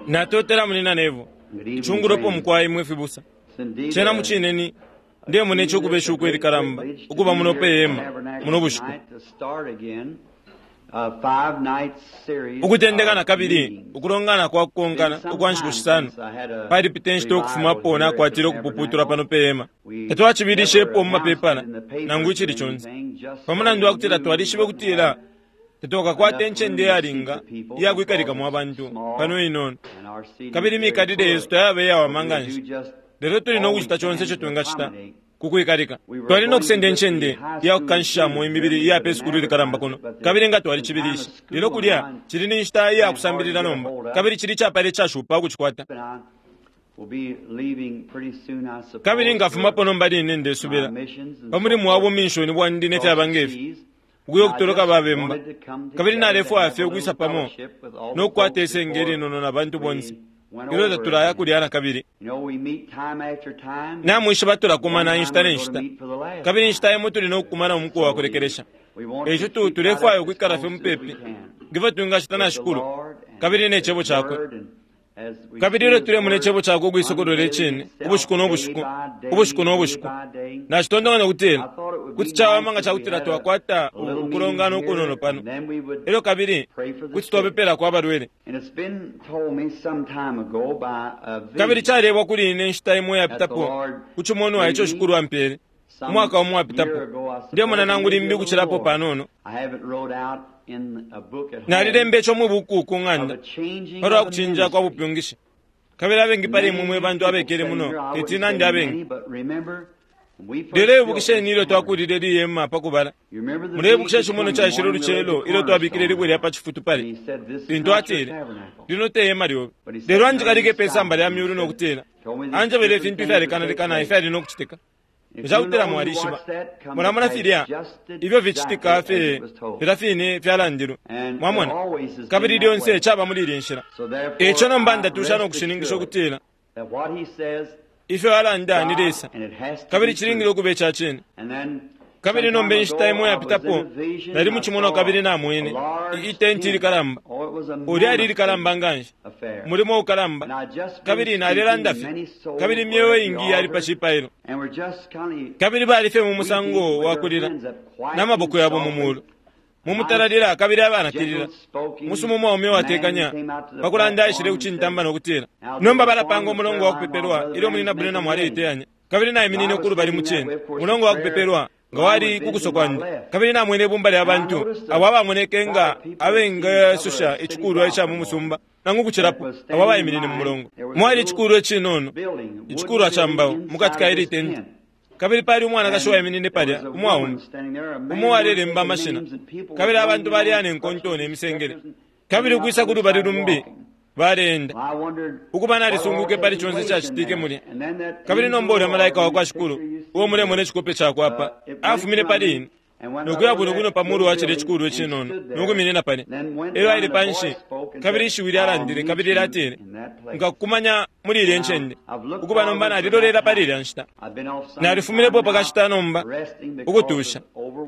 Natotela Munyina Neville. Icungulopo mukwai mwe fibusa. Cena mucine ni ndemona ico ukuba ishuko ilikalamba ukuba muno pe hema muno bushiku. Ukutendeka na kabili ukulongana kwa kukonkana ukwa nshiku shisano palipita inshita ukufumapo nakwatile ukupuputulwa pano pe hema. Tatwacibilishepo mu mapepala nangu icili conse pa mulandu wa kutila twalishibe ukutila tatwakakwate incende iyalinga iya kwikalikamo abantu pano inono, kabili imikalile yesu tayaba iyawama nga nshi. Lelo tuli no kucita conse ico twingacita ku kwikalika. Twali no kusenda incende iya kukanshishamo imibili iya pe sukulu ilikalamba kuno, kabili nga twalicibilishe. Lelo kulya cili ni nshita iya kusambilila nomba, kabili cili icapala icashupa ukucikwata. Kabili nkafumapo nomba line, ndesubila, pa mulimo wa buminshoni bwandi ne fyaba nge fi, ukuya ukutoloka ba bemba. Kabili nalefwaya fye ukwisa pamo no kukwata isenge ilinono na bantu bonse ilyo tatulaya kulya na kabili. Namwishiba tulakumana inshita ne nshita, kabili inshita imo tuli no kukumana umuku wa kulekelesha. Eico tu, tulefwaya ukwikala fye mupepi nge fyo twingacita na Shikulu kabili ne Cebo Cakwe. Kabili ilyo tulemona Icebo Cakwe ukuisokolola Icine, ubushiku no bushiku, ubushiku no bushiku, nacitontonkanya ukutila kuti cawama nga cakutila twakwata ukulongana ukunono pano, elyo kabili kuti twapepelako abalwele. Kabili calebwa kuli ine inshita imo iyapitapo, ku cimonwa ico Shikulu ampele, umwaka umo uwapitapo, ndemona nangu limbi ukucilapo panono. Nalilemba ico mwi buku ku ng'anda palwa kucinja kwa bupyungishi. Kabili abengi pali imwe mwe bantu abekele muno teti nande abengi. Lelo ibukisheni ilyo twakulile ili hema pa kubala. Muleibukisha icimonwa caishile ulucelo ilyo twabikile ilibwe lya pa cifutu pali, lintu atile, Lino te hema lyobe. Lelo anjikalike pe samba lya myulu no kutila, anjebele ifintu ifyalekanalekana ifyali no kucitika. Nga ca kutila mwalishiba, mulamona filya ifyo ficitika fye filya fine fyalandilwe. Mwamona? Kabili lyonse caba muli ilya nshila. E ico nomba ndatusha no kushininkisha ukutila ifyo alanda ni Lesa, kabili cilingile ukuba ica cine. Kabili nomba inshita imo iyapitapo nali mu cimonwa kabili namwene i, itenti ilikalamba. Oh, lyali ilikalamba nganshi, umulimo ukalamba. Kabili nalelanda fye, kabili imyeo iingi yali pa cipailo. Kabili bali fye mu musango wa kulila, na maboko yabo mu mulu, mu mutalalila kabili abanakilila. Umusuma umwaume uwatekanya pa kulanda aishile ku cintamba no kutila, Nomba balapanga umulongo wa kupepelwa ilyo Munyina Branham aleiteyanya. Kabili naiminine uku lubali mu cine, umulongo wa kupepelwa nga wali ku kuso kwandi, kabili namwene ibumba lya bantu abo abamoneke nga abengesusha icikulwa ica mu musumba nangu ukucilapo, abo abaiminine mu mulongo. Mwali icikulwa icinono, icikulwa ca mbao, mu kati ka ili tenti. Kabili pali umwanakashi uwaiminine palya, umwaume, umo uwalelemba amashina, kabili abantu baleya ne nkonto ne misengele, kabili ukwisa ku lubali lumbi baleenda. Ukuba nalisungwike pali conse icacitike mulya. Kabili nomba ulya Malaika wakwa Shikulu, uo mulemona icikope cakwe apa, afumine pali ine, nokuya bwino bwino pa mulu wa cilya icikulwa icinono, nokuminina palya. Elyo aile panshi, kabili Ishiwi lyalandile, kabili lyatile, Nkakukumanya muli ilya ncende. Ukuba nomba nalilolela pali ilya nshita. Nalifuminepo pakashita nomba, ukutusha.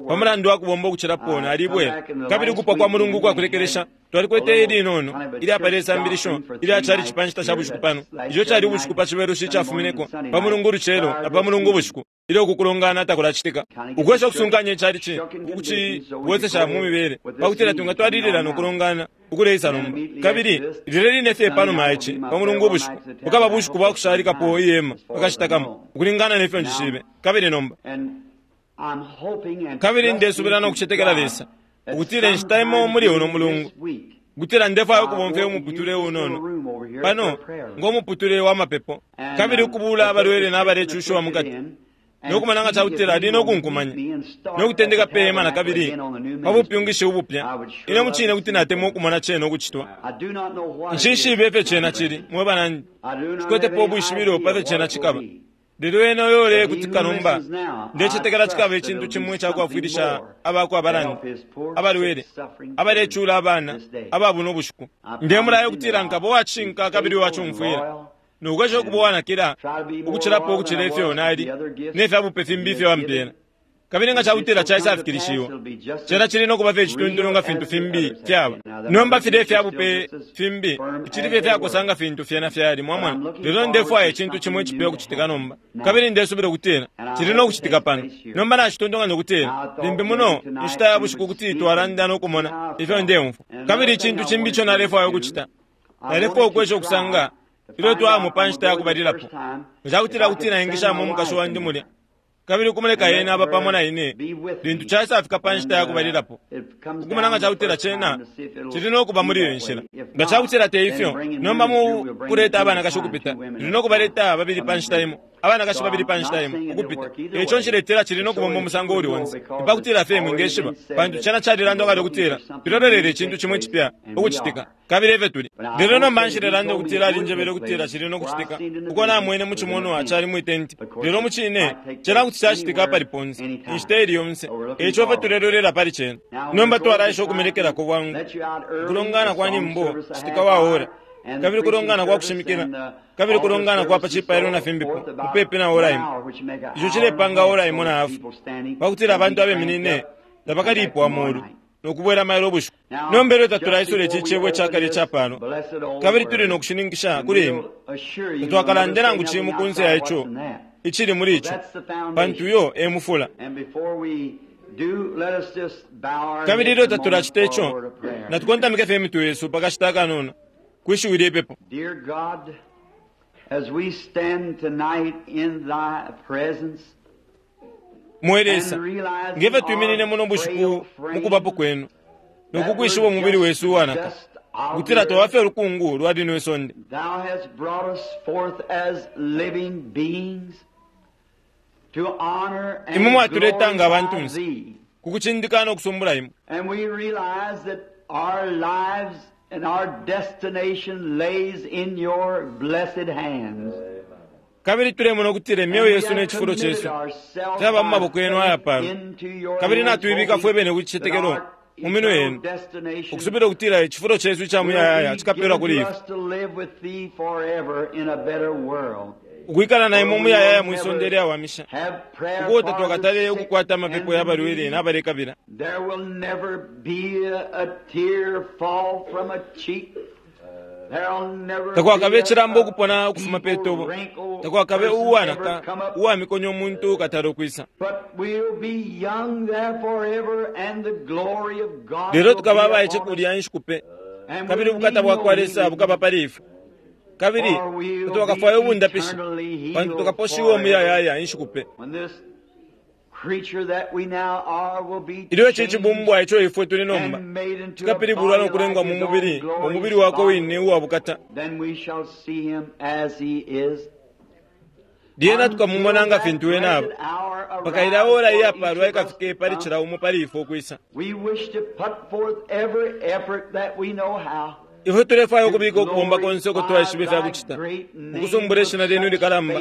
Pa mulandu wa kubomba ukucilapo, nalibwela. Kabili ukupwa kwa mulungu ukwa kulekelesha, twalikwete ilinono ilyapala isambilisho ilya chalichi pa nshita sha bushiku pano, ico cali ubushiku pa Cibelushi icafumineko, pa Mulungu ulucelo na pa Mulungu ubushiku, ilyo uku kulongana takulacitika. Ukwesha ukusunkanya ichalichi ukucibwesesha mu mibele pa kutila twingatwalilila no kulongana ukuleisa nomba. Kabili lilya line fye panuma ya ici, pa Mulungu ubushiku, bukaba bushiku bwa kushalikapo ihema pa kashita kamo, ukulingana ne fyo njishibe. Kabili nomba. Kabili ndesubila no kucetekela Lesa, ukutila inshita imo muli uno mulungu, ukutila ndefwaya ukubomfya umuputule unono pano ngo muputule wa mapepo, kabili ukubuula abalwele na balecushiwa mukati, no kumona nga cakutila ali no kunkumanya no kutendeka pe hema nakabili pa bupyungishi ubupya. Ine mucine kuti natemwa ukumona cena ukucitwa. Nshishibe ifyo cena cili, mwe banandi. Nshikwetepo ubwishibilo pa fyo cena cikaba. Lelo ena uyo ulekutika nomba, ndecetekela cikaba icintu cimo icakwafwilisha abakwa abalanda, abalwele, abalecula abana aba buno bushiku. Ndemulaya ukutila nkaba uwacishinka kabili uwacumfwila, no kwesha ukuba uwanakila ukucilapo ukucila ifyo nali ne fya bupe fimbi ifyo Ampela. Kabili nga cakutila caisafikilishiwa, cena cili no kuba fye icituntulu nga fintu fimbi fyaba. Nomba filya ifya bupe fimbi ficili fye fyakosa nga fintu fyena fyali, mwamona. Lelo ndefwaya icintu cimo icipya ukucitika nomba, kabili ndesubila ukutila cili no kucitika pano. Nomba nacitontonkanya ukutila limbi muno inshita ya bushiku kuti twalanda no kumona ifyo ndeumfwa. Kabili icintu cimbi ico nalefwaya ukucita, nalefwaya ukwesha ukusanga ilyo twaya pa nshita ya kubalilapo, nga cakutila kuti naingishamo umukashi wandi mulya kabili ukumuleka ena aba pamo na ine lintu caisafika pa nshita ya kubalilapo, ukumona nga cakutila cena cili no kuba muli iyo nshila. Nga cakutila te ifyo, nomba mu kuleta abanakashi ukupita, tuli no kubaleta babili pa nshita imo, abanakashi babili pa nshita imo ukupita. Eico nshiletila cili no kubomba umusango uuli onse, epakutila fye mwingeshiba, pantu cena calilandwa kale ukutila tulolelele icintu cimo icipya ukucitika, kabili efyo tuli. Lelo nomba nshilelanda ukutila alinjebele ukutila cili no kucitika uko namwene mu cimonwa cali mwi tenti, lelo mu cine cena kuti cacitika apali ponse, inshita ili yonse. Eico fye tulelolela pali cena. Nomba twalaisha ukumelekelako bwangu ukulongana kwa nyimbo citika wa ora, kabili kulongana kwa kushimikila, kabili kulongana kwa pa cipailo na fimbipo mupepi na ora imo. Ico cilepanga ora imo na hafu, pakutila abantu abeminine tabakalipwa molu no kubwela mailo ubushiku. Nomba ilyo tatulaisula ici cebo icakale icapalwa, kabili tuli no kushininkisha kuli imwe, tatwakalande nangu cimo kunse ya ico icili muli ico, pantu uyo e mufula. Kabili ilyo tatulacita ico, natukontamike fye imitwe yesu pakashita akanono kwishiwi lyepepo. Dear God, as we stand tonight in thy presence, Mwe Lesa, ngefyo twiminine muno bushiku mukubapo kwenu nokukwishiba umubili wesu uwanaka, ukutila twaba fye ulukungu lwa lino isonde. Thou hast brought us forth as living beings to honor and Imwe mwatuleta nga glorify abantunse thee. ku kucindika no kusumbula imwe. And we realize that our lives and our destination lays in your blessed hands. Kabili tulemona ukutila imyeo yesu ne cifulo cesu fyaba mu maboko yenu ayapalwa, kabili natuibika fwe bene ku cicetekelo mu minwe yenu, ukusubila ukutila icifulo cesu ica muyayaya cikapelwa kuli ifwe, ukwikala na imwe muyayaya mwi sonde lyawamisha, ukuti tatwakatale ukukwata amapepo ya balwele n'abalekabila. There will never be a tear fall from a cheek. There'll never Takwakabe be icilambo a ukupona ukufuma pe evil, tobo, wrinkled takwakabe person uwanaka ever come up. uwamikonya umuntu ukatala ukwisa. But we'll be young there forever, and the glory of God Lelo will tukaba be abaice upon us. kulya inshiku pe, And kabili we'll ubukata need bwa kwa no Lesa healing, bukaba pali ifwe, kabili for we'll tatwakafwaye be ubundapishi, eternally healed pantu tukaposhiwa forever. umuyayaya inshiku pe. When this creature that we now are will be Ilyo ici changed cibumbwa ico ifwe tuli nomba and made into a cikapilibulwa no body kulengwa like mu his mubili, own glorious umubili wakwe body, wine uwa bukata. then we shall see him as he is. Lyena tukamumona nga fintu wene aba. Pakaila ora iyapalwa ikafike pali cila cila umo pali ifwe ukwisa. We wish to put forth every effort that we know how. Ifwe tulefwaya ukubika ukubomba konse uko twaishiba ifya kucita, ukusumbula ishina lyenu likalamba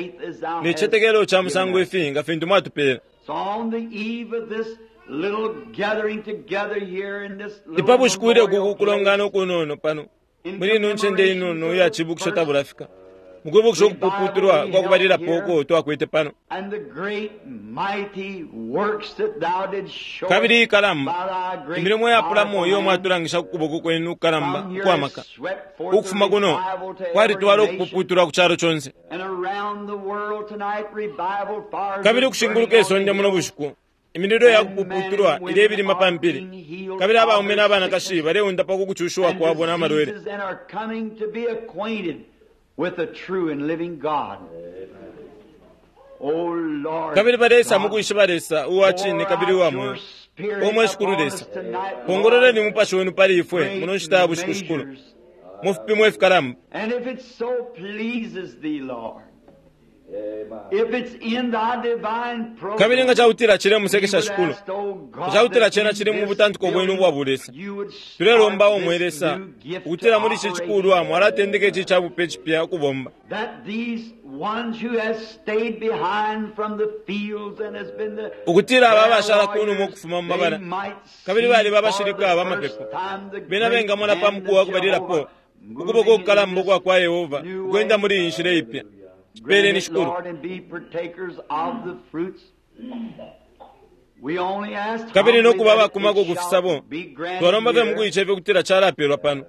ne cicetekelo ca musango ifi nga fintu mwatupeela. So on the eve of this little gathering together here in this little Ipa bushiku ilyo memorial kuku kulongana place, ukunono pano in muli ino ncende inono iya cibukisho tabulafika, mukwibukisha ukupuputulwa kwa kubalilapo uko twakwete pano, and the great mighty works that thou didst show kabili us ikalamba by thy great imilimo yapulamo powerful iyo hand, mwatulangisha ku kuboko kwenu kukalamba from here ukwamaka has swept forth the ukufuma kuno revival to every kwalitwala nation, ukupuputulwa ku calo conse, and around the world tonight revival fires kabili are ukushinguluka burning on isonde the muno hills. bushiku imililo ya kupuputulwa ilebilima pa mpili, kabili abaume n'abanakashi baleundapwa ku kucushiwa and kwabo n'amalwele, diseases and are coming to be acquainted with the true and living God. O Lord, kabili baleisa mu God, kwishiba Lesa uwa cine pour kabili out uwa your mweo. spirit O mwe Shikulu upon Lesa, us tonight, pongololeni Lord, umupashi wenu pali ifwe great muno nshita ya bushiku shikulu, measures. mu fipimo ifikalamba. And if it so pleases thee, Lord, if it's in thy divine program, Kabili nga cakutila cile we musekesha would shikulu, ask, O God, cakutila that cena in cili mu this butantiko bwenu building ubwa bulesa. you would start Tulelomba omwe this Lesa new gift to ukutila muli ici operate, cikulwa mwalatendeka ici cabupe cipya ukubomba, that these ones who has stayed behind from the fields and has been the ukutila aba prayer abashala kunuma warriors, ukufuma mu they mabala, might kabili see baliba for abashilika the abamapepo, first time the bena great bengamona pa hand muku wa of kubalilapo Jehovah ukuboko moving in kukalamba this ukwa kwa Yehova new ukwenda way. muli iyi nshila ipya. Grant Cipeleni it, shikulu. Lord, and be partakers of the fruits. Kabili no kuba abakumako ku fisabo, twalomba fye mukuicefya ukutila calapelwa pano,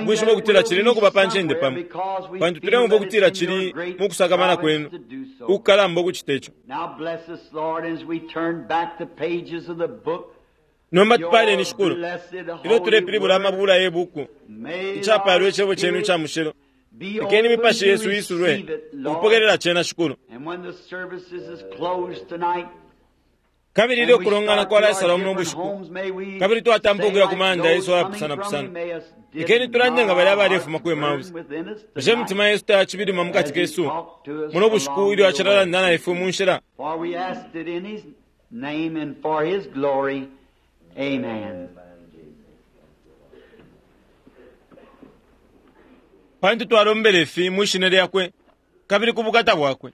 ukwishiba ukutila cili no kuba pa ncende pamo, pantu tuleumfwa ukutila cili mu kusakamana kwenu ukukalamba ukucita ico. Nomba tupaleni, Shikulu, ilyo tulepilibula amabula ye buku, icapalwa Icebo cenu ica mushilo. Lekeni imipashi yesu isulwe ukupokelela cena, Shikulu. Kabili ilyo kulongana kwalaisalwa muno bushiku, kabili twatampa ukuya ku mayanda yesu ayapusanapusana, lekeni tulande nga balya abalefuma ku Emausi. Bushe imitima yesu tayacibilima mu kati kesu muno bushiku ilyo acilalanda na ifwe mu nshila? Pantu twalombele ifi mwi shina lyakwe kabili ku bukata bwakwe.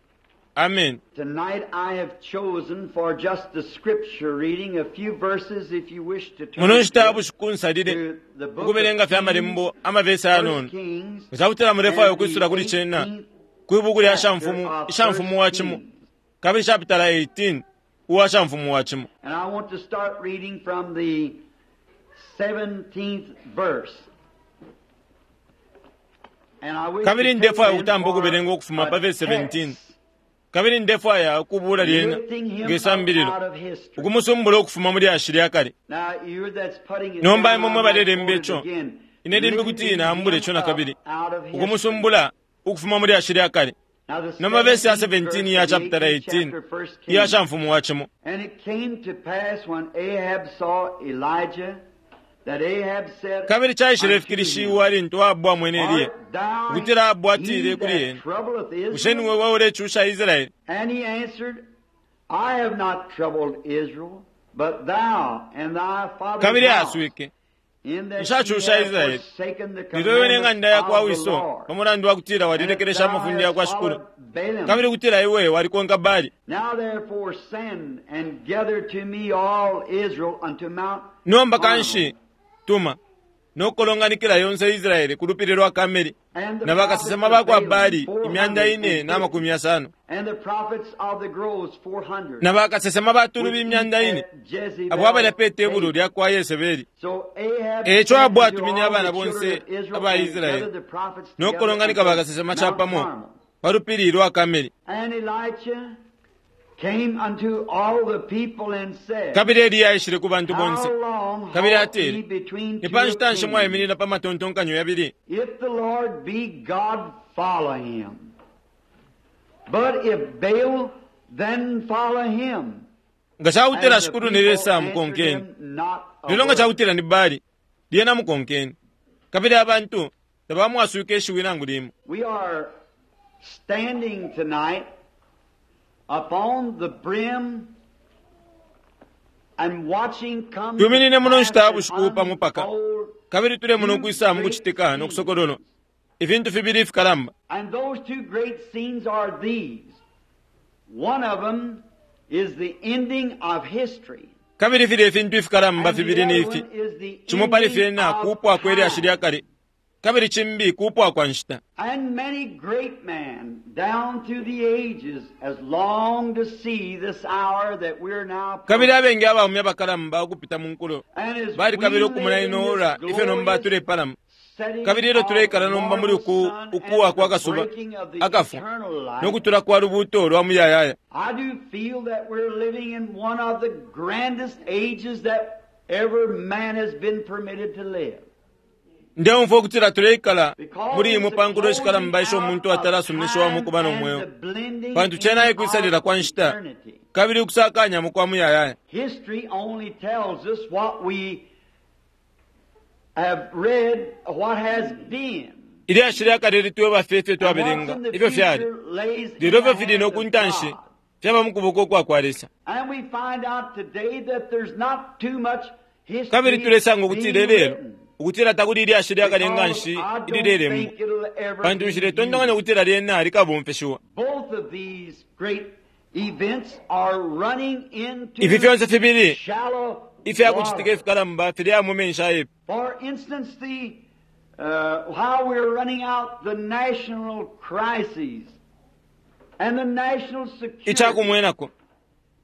Amen. Tonight I have chosen for just the scripture reading a few verses if you wish to turn Muno nshita ya to bushiku nsalile the book of ukubelenga fye amalembo amavesi ayanono. First Kings Nga mulefwaya and the ukwisula kuli cena 18th kwi buku lya chapter shamfumu, of ishamfumu wa First cimo, Kings. kabili chapitala 18 uwa shamfumu wa cimo. And I want to start reading from the 17th verse. And I wish to Kabili take ndefwaya then ukutampa for ukubelenga ukufuma a pa verse 17. text, Kabili ndefwaya ukubula lyena lifting him nge up sambililo out of history. ukumusumbula ukufuma mu lyashi lya kale. Now, you that's putting it Nomba down, imwe I mwe might balelemba quote it ico, again. ine limbi kuti Lifting nambule him ico na up kabili, out of history. ukumusumbula ukufuma mu lyashi lya kale. Now, the Nomba verse ya 17th 17 verse ya of the chapter 18th 18 chapter, First iya Kings. shamfumu wa cimo. And it came to pass when Ahab saw Elijah that Ahab said Kabili caishile unto him, fikilishiwa lintu Ahabu amwene Eliya, Art thou ukutila Ahabu he atile kuli that ena, troubleth Bushe Israel? niwe waulecusha Israeli? And he answered, I have not troubled Israel, but thou and thy father's Kabili house, aaswike, in that ye Nshacusha have Israeli. forsaken the Lelo iwe commandments n'eng'anda ya kwa of the wiso, Lord, pa mulandu wa kutila and that walilekelesha thou amafunde ya hast kwa Shikulu, followed Balaam. kabili kutila iwe walikonka Baali. Now therefore send and gather to me all Israel unto Mount Nomba Carmel. kanshi tuma nokukolonganikila yonse Israeli ku lupili lwa Kameli And the na bakasesema prophets ba of kwa Balaam, Baali imyanda ine na 450, makumi yasano and the prophets of the groves 400, na bakasesema ba tulubi which eat imyanda ine at Jezebel's abo abalya pe tebulo table. lya kwa Yesebeli. So Ahab Eco sent Ahabu unto atumine all abana the children bonse of Israel aba and Israeli gathered the prophets together nokukolonganika unto bakasesema Mount capamo Carmel. pa lupili lwa Kameli. And Elijah came unto all the people and said, Kabili Eliya aishile ku bantu How bonse long kabili halt ye atile, between ni two pa nshita nshi opinions? mwaiminina pa matontonkanyo yabili? If the Lord be God, follow him. But if Baal, then follow him. Nga cakutila And the Shikulu ni people Lesa answered mukonkeni, him not a lelo nga word. cakutila ni Baali, lyena mukonkeni. Kabili abantu tabamwaswike ishiwi nangu limo. We are standing tonight upon the brim and watching come to Twiminine muno pass nshita ya and bushiku pa mupaka, unfold kabili tulemona two ukwisa mu great kucitika no scenes. kusokololo ifintu fibili ifikalamba. And those two great scenes are these. One of them is the ending of history. Kabili filya ifintu ifikalamba And the fibili ni other ifi. one is the Cimo pali ending fyena of kupwa kwe lyashi lya time. kale, kabili cimbi kupwa kwa nshita. And many great men down through the ages has longed to see this hour that we're now Kabili approaching. abengi abaume abakalamba ukupita mu nkulo And as we balikabila ukumona live in ino this ora ifyo nomba glorious tulepalama. setting Kabili ilyo of the tuleikala nomba muli mortal uku sun and ukuwa kwa the kasuba breaking of the akafwa eternal no light, kutula kwa lubuuto lwa muyayaya. I do feel that we're living in one of the grandest ages that ever man has been permitted to live. Ndeumfwa ukutila tuleikala Because muli it's imwe the pa nkulo closing ishikalamba isho out umuntu of atalasuminishiwamo time ukuba no and mweo. the blending Pantu cena in of ekwisalila kwa nshita eternity. kabili ukusakanyamo kwa muyayaya. History only tells us what we have read, what has been. Ilyashi lya kale litweba fye ifyo And what's twabelenga in the ifyo fyali future lays in lelo the ifyo fili hands no of ku ntanshi God. fyaba mu kuboko kwa kwa Lesa. And we find out today that there's not too much Kabili history tulesanga ukutila being ilelo written. ukutila takuli ilyashi lya kale nga Because nshi I don't ililelembwa think it'll ever pantu be nshiletontonkanya used. ukutila lyena likabomfeshiwa. Both of these great events are running Ifi into fyonse fibili shallow ifyakucitika water. ifikalamba filya mu menshi ayepi. For instance, the how we're running out the national crises and the national security. Icakumwenako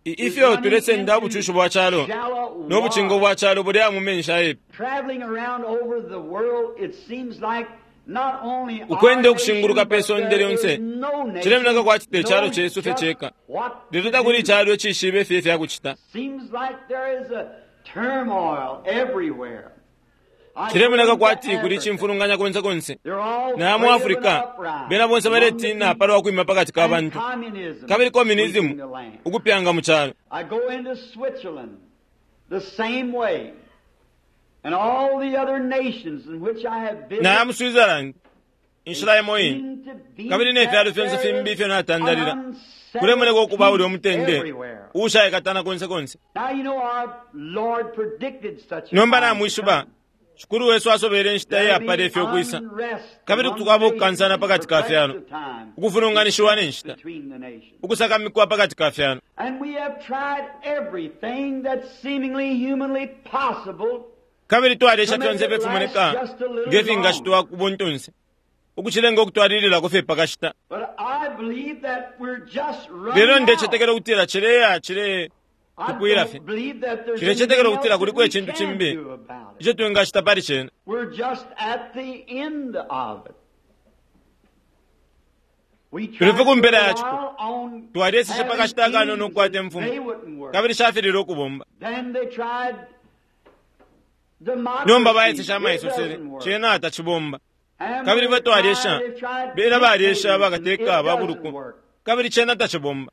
Ifyo tulesenda ubucushi bwa calo no bucingo bwa calo bulya mu menshi ayepi. Ukwenda ukushinguluka pe sonde lyonse cilemoneka kwati te calo cesu fye ceka, lelo takuli icalo icishibe fye ifya kucita. Cilemoneka kwati kuli icimfulunganya konse konse. Naya mu Africa, bena bonse baletina palwa kwima pakati ka bantu, kabili communism ukupyanga mu calo. Naya mu Switzerland, inshila imo ine, kabili ne fyalo fyonse fimbi ifyo natandalila, kulemoneka ukuba ulya umutende uushaikatana konse konse. Nomba namwishiba, Shikulu wesu asobele inshita iyapala ifyo kwisa, kabili tukaba ukukansana pakati ka fyalo, ukufulunganishiwa ne nshita, ukusakamikwa pakati ka fyalo. Kabili twalesha fyonse ifimoneka nge fingashitwa ku buntunse, ukucilenga ukutwalililako fye pakashita. Lelo ndecetekela ukutila cileya cile tupwila fye. Cilecetekela ukutila kuliko icintu cimbi ico twingacita pali cena. Tuli fye ku mpela ya ciko. Twalyeseshe pakashita akanono ukukwata imfumu, kabili shafililwe ukubomba. Nomba baeseshe amaisosele, cena tacibomba. Kabili ifwe twalyesha, bena balyesha bakateka ba buluku, kabili cena tacibomba.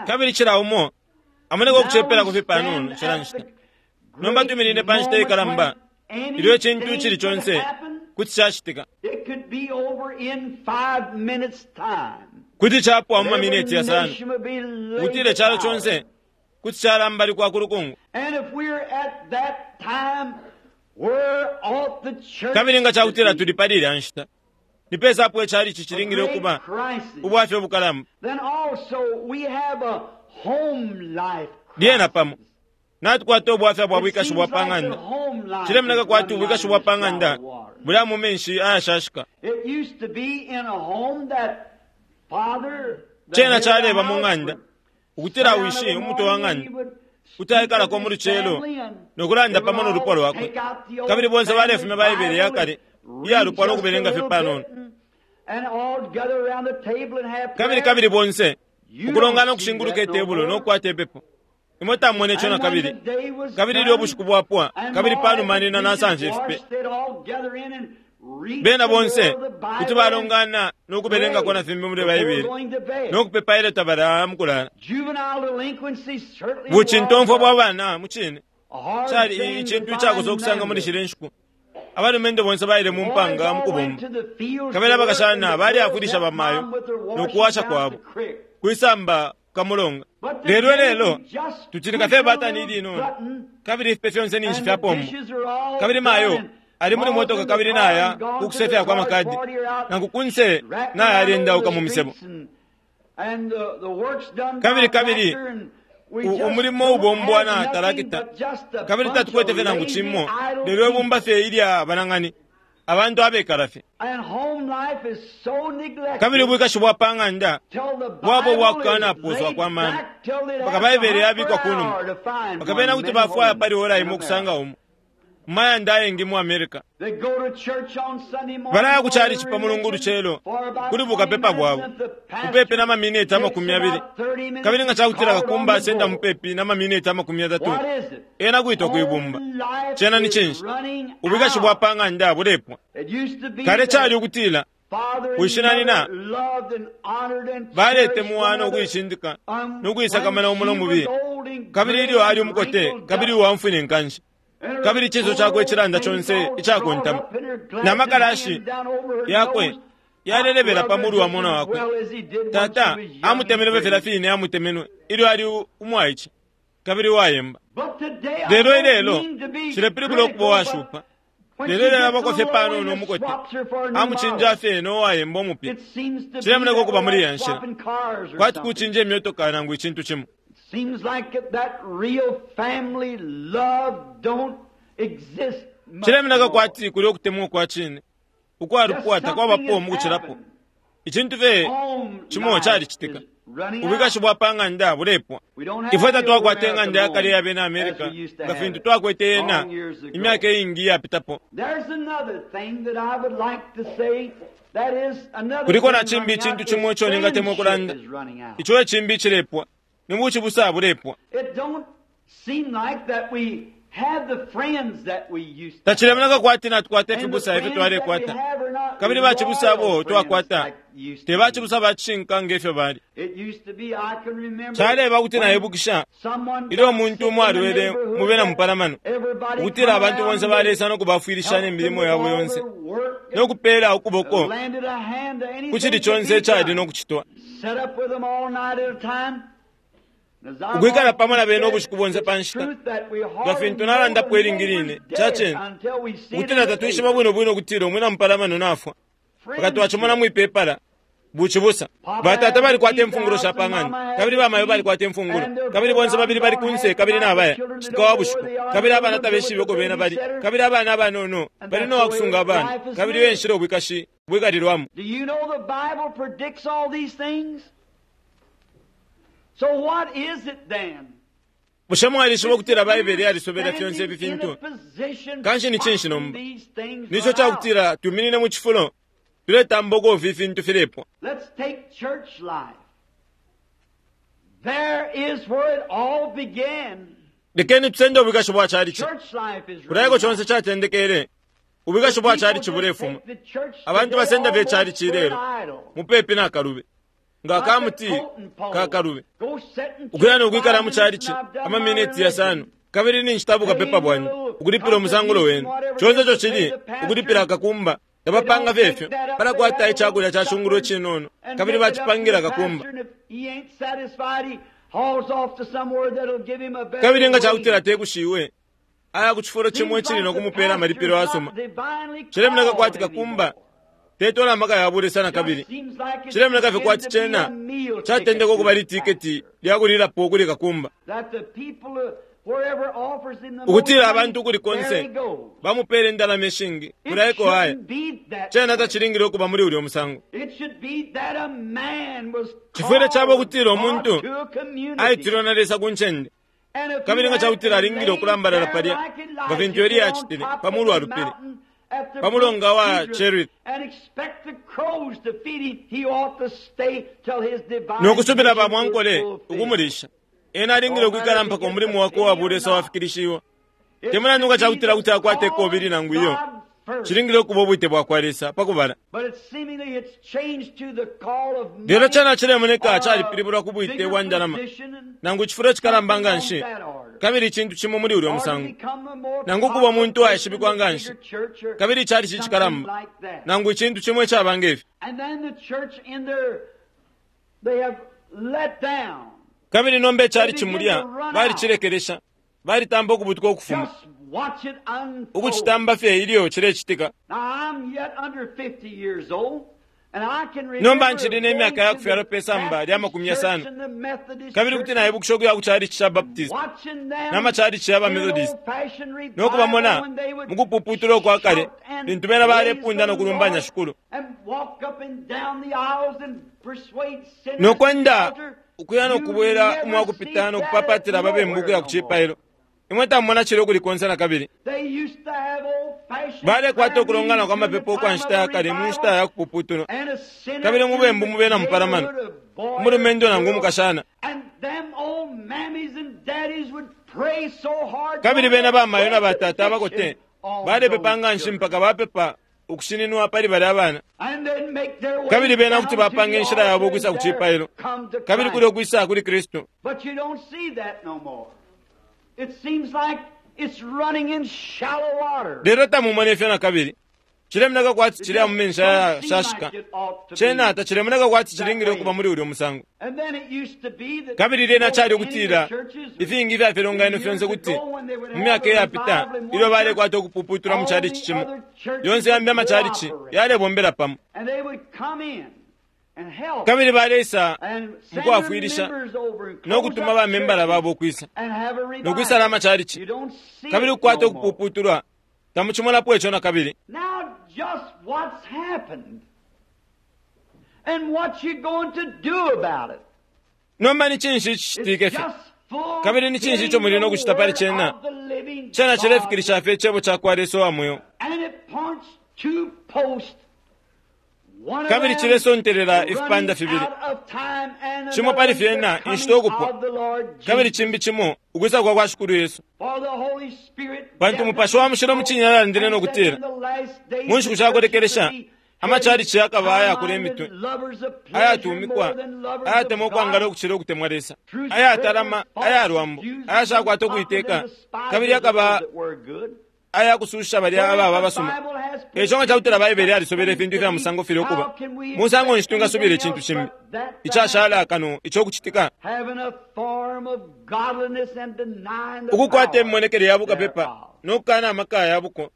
Kabili cila umo amoneka ukucepelako fye panono cila nshita. Nomba twiminine pa nshita ikalamba ilyo icintu icili conse kuti cacitika. Kuti capwa mu mamineti yasano, ukutila icalo conse kuti calambalikwa ku lukungu. Kabili nga cakutila tuli pali ilya nshita, ni pesa apo icalici cilingile ukuba ubwafya ubukalamba. Lyena pamo natukwata ubwafya bwa bwikashi bwa pa ng'anda. Cilemoneka kwati ubwikashi bwa pa ng'anda bulya mu menshi ayashashika. Cena caleba mu ng'anda ukutila wishi umutwe wa ng'anda kuti aikalako mu lucelo no kulanda pamo no lupwa lwakwe, kabili bonse balefumya Baibele ya kale iya lupwa no kubelenga fye panono, kabili kabili bonse ukulongana ukushinguluka itebulo no kukwata ipepo. Imwe tamwene ico na kabili. Kabili ilyo ubushiku bwapwa, kabili panuma nina nasamfya ifipe, bena bonse kuti balongana no kubelengako na fimbi muli Baibele no kupepa ilyo tabalaya mu kulala. Bucintomfwa bwa bana mu cine cali icintu icakosa ukusanga muli shilya nshiku. Abalumendo bonse baile mu mpanga mu kubomba, kabili abakashana balyafwilisha bamayo no kuwasha kwabo kwisamba kamulonga. Lelo lelo tucilika fye batani ilinono, kabili ifipe fyonse ninshi fyapombo, kabili mayo ali muli motoka kabili naya kukusefya kwa makadi, nangu kunse naya alendauka mu misebo. Kabili kabili umulimo ubombwa na tarakita, kabili tatukwete fye nangu cimo, lelo ibumba fye ilya banang'ani, abantu abekala fye. Kabili ubwikashi bwa pa ng'anda bwabo bwakukanapooswa kwa mano, mpaka Baibele yabikwa ku numa, mpaka bena kuti bafwaya pali ora imo ukusanga umo mu mayanda ayengi mu America. Balaya ku calici pa Mulungu ulucelo kuli bukapepa bwabo, mupepi na mamineti 20, kabili nga cakutila kakumba asenda mupepi na mamineti 30, ena kwitwa kwi bumba. Cena ni cinshi? Ubwikashi bwa pa ng'anda bulepwa. Kale cali ukutila wishi na nyina baletemwana ukuicindika no kuisakamana umo no mubiye, kabili ilyo ali umukote kabili uwamfwine nkanshi, kabili icinso cakwe cilanda conse icakontama, na makalashi yakwe yalelebela pa mulu wa mwana wakwe. Tata amutemenwe filya fine amutemenwe ilyo ali umwaice kabili uwayemba. Lelo ilelo cilepilibula ukuba uwashupa. Lelo ilelo abako fye panono umukote amucinja fye no wayemba umupya. Cilemoneka ukuba muli iya nshila kwati kucinja imyotoka nangu icintu cimo. Cilemoneka kwati kuli ukutemwa kwa cine ukwalupwa takwabapo mu kucilapo. Icintu fye cimo calicitika. Ubwikashi bwa pa ng'anda bulepwa. Ifwe tatwakwata ing'anda ya kale ya bena America nga fintu twakwete yena imyaka iingi iyapitapo. Kuliko na cimbi icintu cimo ico ningatemwa ukulanda. Ico e cimbi icilepwa. Ni bucibusa bulepwa. Tacilemoneka kwati natukwata ifibusa ifyo twalekwata, kabili bacibusa abo twakwata te bacibusa ba cishinka nge fyo bali. Caleba kuti naibukisha ilyo umuntu umo alwele mu bena mupalamano, ukutila abantu bonse balesa no kubafwilisha ne milimo yabo yonse no kupeela ukuboko ku cili conse icali no kucitwa. Ukwikala pamo na bena ubushiku bonse pa nshita, nga fintu nalandapo ilingi line, ca cine ukutila tatwishiba bwino bwino ukutila umwina mupalamano nafwa mpaka twacimona mwi pepala. Bucibusa. Batata balikwata imfungulo sha pa ng'anda, kabili bamayo balikwata imfungulo, kabili bonse babili bali kunse kabili nabaya citika wa bushiku, kabili abana tabeshibe uko bena bali, kabili abana abanono bali no wakusunga abana, kabili iyo enshila ubwikashi bwikalilwamo. Do you know the Bible predicts all these things? So what is it then? Bushe mwalishiba ukutila Baibele yalisobela fyonse ifi fintu? Kanshi ni cinshi nomba? Nico ca kutila tuminine mu cifulo tuletamba uko ifi fintu filepwa. Let's take church life. There is where it all began. Lekeni tusende ubwikashi bwa calici. Church life is Kulya eko conse catendekele. Ubwikashi bwa calici bulefuma. Abantu basenda fye calici ilelo mupepi na kalube, nga kamuti ka kalube, ukuya no kwikala mu calici amaminiti yasano, kabili ninshi bukapepa bwandi ukulipila umusangulo wenu. Conse ico cili ukulipila akakumba. Tabapanga fye ifyo, balakwata icakulya ca cungulo icinono kabili bacipangila akakumba. Kabili nga cakutila tekushiwe, aya ku cifulo cimo icili no kumupeela amalipilo asuma. Cilemoneka kwati kakumba tetola amaka ya bulesa na kabili. Cilemoneka fye kwati cena catendeka ukuba litiketi lya kulilapo kuli kakumba, ukutila abantu ukuli konse bamupeela indalama ishingi, kulya eko aya. Cena tacilingile ukuba muli ulya musango. Cifwile caba ukutila umuntu aitilwe na Lesa ku ncende, kabili nga cakutila alingile ukulambalala palya nga fintu Eliya acitile pa mulu wa lupili pa mulonga wa Cherith, no kusubila ba mwankole ukumulisha. Ena alingile ukwikala mpaka umulimo wakwe uwa bulesa wafikilishiwa. Te mulandu nga cakutila kuti akwate ikobili nangu iyo, cilingile ukuba ubwite bwa kwa Lesa pa kubala. Lelo cena cilemoneka calipilibulwa ku bwite bwa ndalama nangu icifulo cikalamba nga nshi, kabili icintu cimo muli ulya musango, nangu ukuba umuntu uwaishibikwa nga nshi, kabili icalici icikalamba, nangu icintu cimo icaba nge fi. Kabili nomba icalici mulya balicilekelesha, balitamba ukubutuka ukufuma, ukucitamba fye ilyo cilecitika. Nomba ncili ne myaka ya kufyalwa pe samba lya 50, kabili kuti naibukisha ukuya ku calici ca Baptist na macalici ya ba Methodist no kubamona mu kupuputula ukwa kale lintu bena balepunda no kulumbanya Shikulu no kwenda ukuya no kubwela umwa kupita no kupapatila ababembu ukuya ku cipailo. Imwe tamumona cilya ukuli konse na kabili. Balekwata ukulongana kwa mapepo ukwa nshita ya kale mu nshita ya kupuputulwa, kabili mubembu mu bena mupalamano, umulumendo nangu umukashana. Kabili bena bamayo na batata abakote balepepa nga nshi mpaka bapepa ukushininwa pali balya abana. Kabili bena kuti bapanga inshila yabo ukwisa ku cipailo, kabili kulya ukwisa kuli Kristu. But you don't see that no more. It seems like it's running in shallow water. Lelo tamumona ifyo na kabili. Cilemoneka kwati cilya mu menshi ayashashika. Cena tacilemoneka kwati cilingile ukuba muli ulya musango. And then it used to be that Kabili lyena cali ukutila ifingi ifya filonganino fyonse kuti mu myaka iyapita ilyo balekwata ukupuputulwa mu calici cimo, yonse yambi amacalici yalebombela pamo, and they would come in and help kabili baleisa and mu send their kwafwilisha members over and no close kutuma up bamembala churches babo ukwisa and have a revival. no kwisala amacalici, You don't see kabili it ukukwata no more. ukupuputulwa. Tamucimonapo ico na kabili. Now just what's happened? And what you going to do about it? Nomba ni cinshi icicitike fye? Kabili ni cinshi ico muli no kucita pali cena? Cena cilefikilisha fye icebo ca kwa Lesa uwa mweo. Kabili cilesontelela ifipanda fibili. Cimo pali fyena inshita ukupwa, kabili cimbi cimo ukwisa kwa kwa Shikulu Yesu. Pantu Mupashi wa Mushilo mu cine alandile no kutila, mu nshiku sha kulekelesha amachalichi yakaba ayakula imitwe, ayatumikwa, ayatemwa ukwangala ukucila ukutemwa Lesa, ayatalama, ayalwambo, ayashakwata ukuiteka, kabili yakaba ayakususha balya ababa abasuma. Eco nga cakutila Baibele yalisobele ifintu ifya musango filya ukuba, musango nshi twingasubila icintu cimbi icashala kano ico kucitika? Ukukwata imimonekele ya bukapepa no kukana amaka ya buko.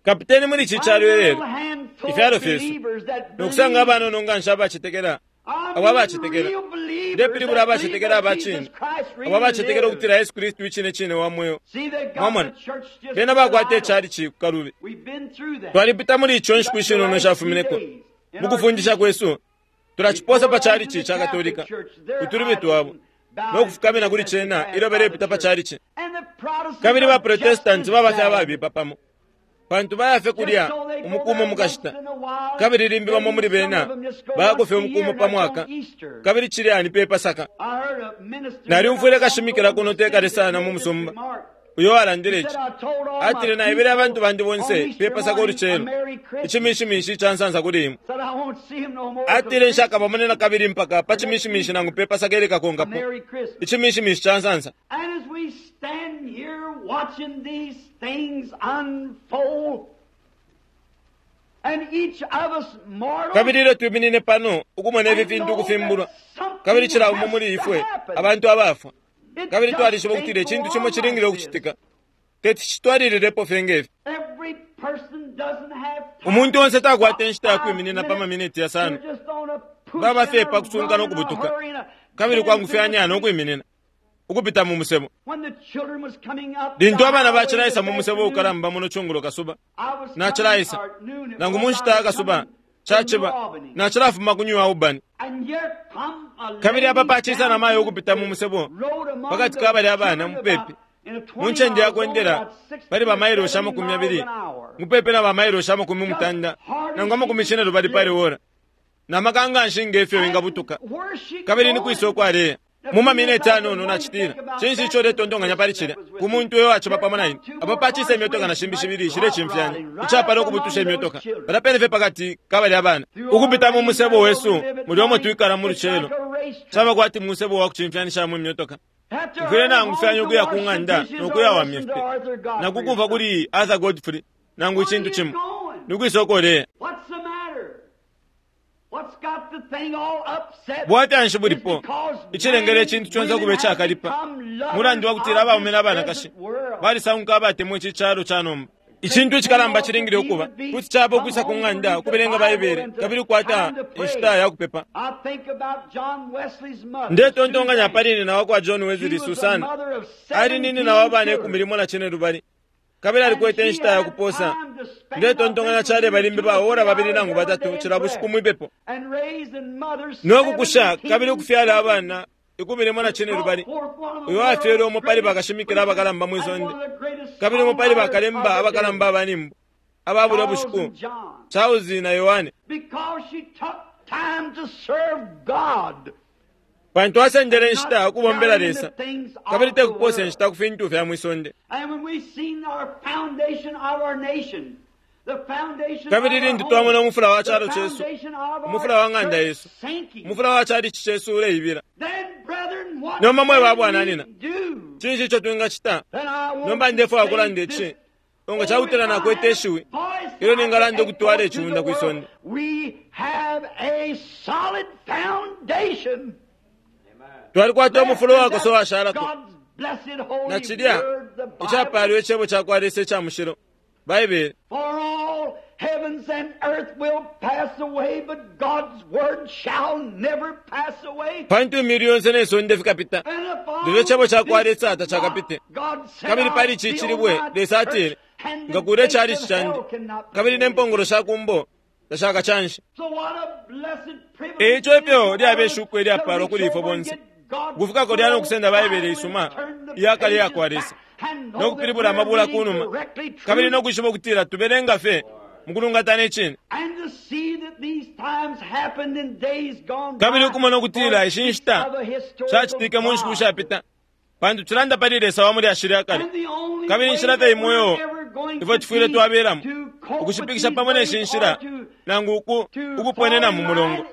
Kapiteni muli ici calo ilelo, ifyalo fyesu, no kusanga abanono nga nshi abacetekela, abo abacetekela, ndepilibula abacetekela aba cine, abo abacetekela ukutila Yesu Kristu icine cine wa mweo. Mwamona, bena bakwata icalici ku kalubi. Twalipita muli ico nshiku ishinono ishafumineko. Mu kufundisha kwesu, tulaciposa pa calici ca Katolika, utulubi twabo, no kufukamina kuli cena ilyo balepita pa calici. Kabili ba Protestanti baba fye ababipa pamo, pantu baya fye kulya umukumo mukashita, kabili limbi bamo muli bena bayako fye umukumo pa mwaka, kabili cilya ni pe Pasaka. Nalyumfwile kashimikila kuno te kale sana mu musumba uyo walandile ici. Atile, naebele abantu bandi bonse pe Pasaka ulucelo, icimishimishi ica nsansa kuli imwe. Atile, nshakabamone na kabili mpaka pa cimishimishi nangu pe Pasaka ilikakonkapo, icimishimishi ca nsansa. And as we stand here watching these things unfold, and each of us mortals, Kabili ilyo twiminine pano ukumona ifi fintu ukufimbulwa, kabili cila umo muli ifwe abantu abafwa, kabili twalishiba ukutila icintu cimo cilingile ukucitika, teti citwalililepo fye ngefi. Every person doesn't have time. Umuntu onse takwata inshita ya kwiminina pa maminiti yasano. They're just on a push Baba fye and a pa kusunka no run and a kubutuka. hurry and a Kabili getting kwangufyanya through no the kwiminina ukupita mu musebo. When the children was coming up Lintu the abana highway bacilaisa this mu musebo afternoon, ukalamba muno cungulo kasuba, I was coming, nacilaisa or noon it nangu was, mu I nshita ya was kasuba coming from caciba New Albany. nacilafuma ku New Albany. And here come a Kabili apa lady pacisa down na mayo the ukupita mu musebo road among pakati the ka balya abana children mupepi about in a 20 mu ncende ya mile zone, kwendela about 60 pali or bamailoshi 70 amakumi miles yabili an hour. mupepi na bamailoshi amakumi mutanda nangu amakumi cine lubali pali ora na maka nga nshi ngefyo wingabutuka. Where's she Kabili ni going? kwisa ukwaleya mu mamineti anono nacitila, cinshi ico uletontonkanya pali cilya? Ku muntu uyo waciba pamo na ine apo pacisa imyotoka na shimbi shibili ishile cimfyanya icapala ukubutusha imyotoka palya pene fye pakati ka balya bana ukupita mu musebo wesu muli omo twikala mu lucelo, caba kwati musebo wa kucimfyanishamo imyotoka. Mfwile nangufyanya ukuya ku ng'anda nokuyawamya ifipe nakukumva kuli Arthur Godfrey nangu icintu cimo nikwisa ukoleya. What's the matter? What's got the thing all upset? Bwafya nshi bulipo It's because icilengele icintu conse men, ukuba icakalipa? women have become Mulandu wa kutila abaume n'abanakashi lovers of this present world. balisanguka abatemwa ici calo ca nomba. Icintu icikalamba cilingile ukuba kuti caba ukwisa ku ng'anda ukubelenga Baibele kabili ukwata inshita ya kupepa. I think about John Wesley's mother, Ndetontonkanya Susan. pali nina wa kwa John She Wesley, was a Susana. mother of Ali 17 nina wa bana children. ikumi limo na cine lubali, kabili alikwete And she inshita ya had kuposa. time to spend, Ndetontonkanya I think, cale balimbi two or ba ora three babili hours nangu every batatu day in cila bushiku prayer. mwipepo And raised and mothered no kukusha 17 kabili ukufyala children. abana 15. Uyo afyele umo pali bakashimikila abakalamba mwi sonde, kabili umo pali bakalemba abakalamba abanimbo aba bulya bushiku, Charles na Yohane, Because she took time to serve God. pantu asendele inshita ukubombela Lesa kabili te kuposa Lesa. inshita ku fintu fya mwi sonde. And when we seen our foundation of our nation, the foundation Kabili of our lintu twamona home, umufula wa the calo cesu, foundation of our umufula wa ng'anda church yesu, sinking, umufula wa calici cesu uleibila, then brethren, what Nomba mwe can babwananina, we do? cinshi ico twingacita? Then I want Nomba to ndefwaya say kulanda this ici, nga cakutila nakwete ishiwi ilyo ningalanda ukutwala iciunda kwi sonde. We have a solid foundation. Twalikwata umufulo wakosa washalako God's blessed holy na cilya word, the Bible. icapaalwa icebo ca kwa Lesa ica mushilo, Baibele. For all heavens and earth will pass away, but God's word shall never pass away. Pantu imyulu yonse ne sonde fikapita, And upon lelo icebo ca kwa this Lesa tacakapite. rock, God said, Kabili pali I'll ici build cilibwe my Lesa atile, church, and the ngakuula gates icalici of candi hell cannot kabili ne prevail. mpongolo sha kumbo tashakacanshe. E ico ifyo lyabe ishuko ilyapaalwa kuli ifwe bonse ukufika kulya no kusenda Baibele isuma iya kale iya kwa Lesa no kupilibula amabula ku numa kabili no kwishiba ukutila tubelenga fye mu kulungatana icine kabili ukumona ukutila ishi nshita shacitike mu nshiku shapita pantu cilanda pali Lesa wa mulyashi lya kale kabili inshila fye imo iyo ifwe tufwile twabelamo ukushipikisha pamo ne shi nshila nangu uku ukuponena mu mulongo.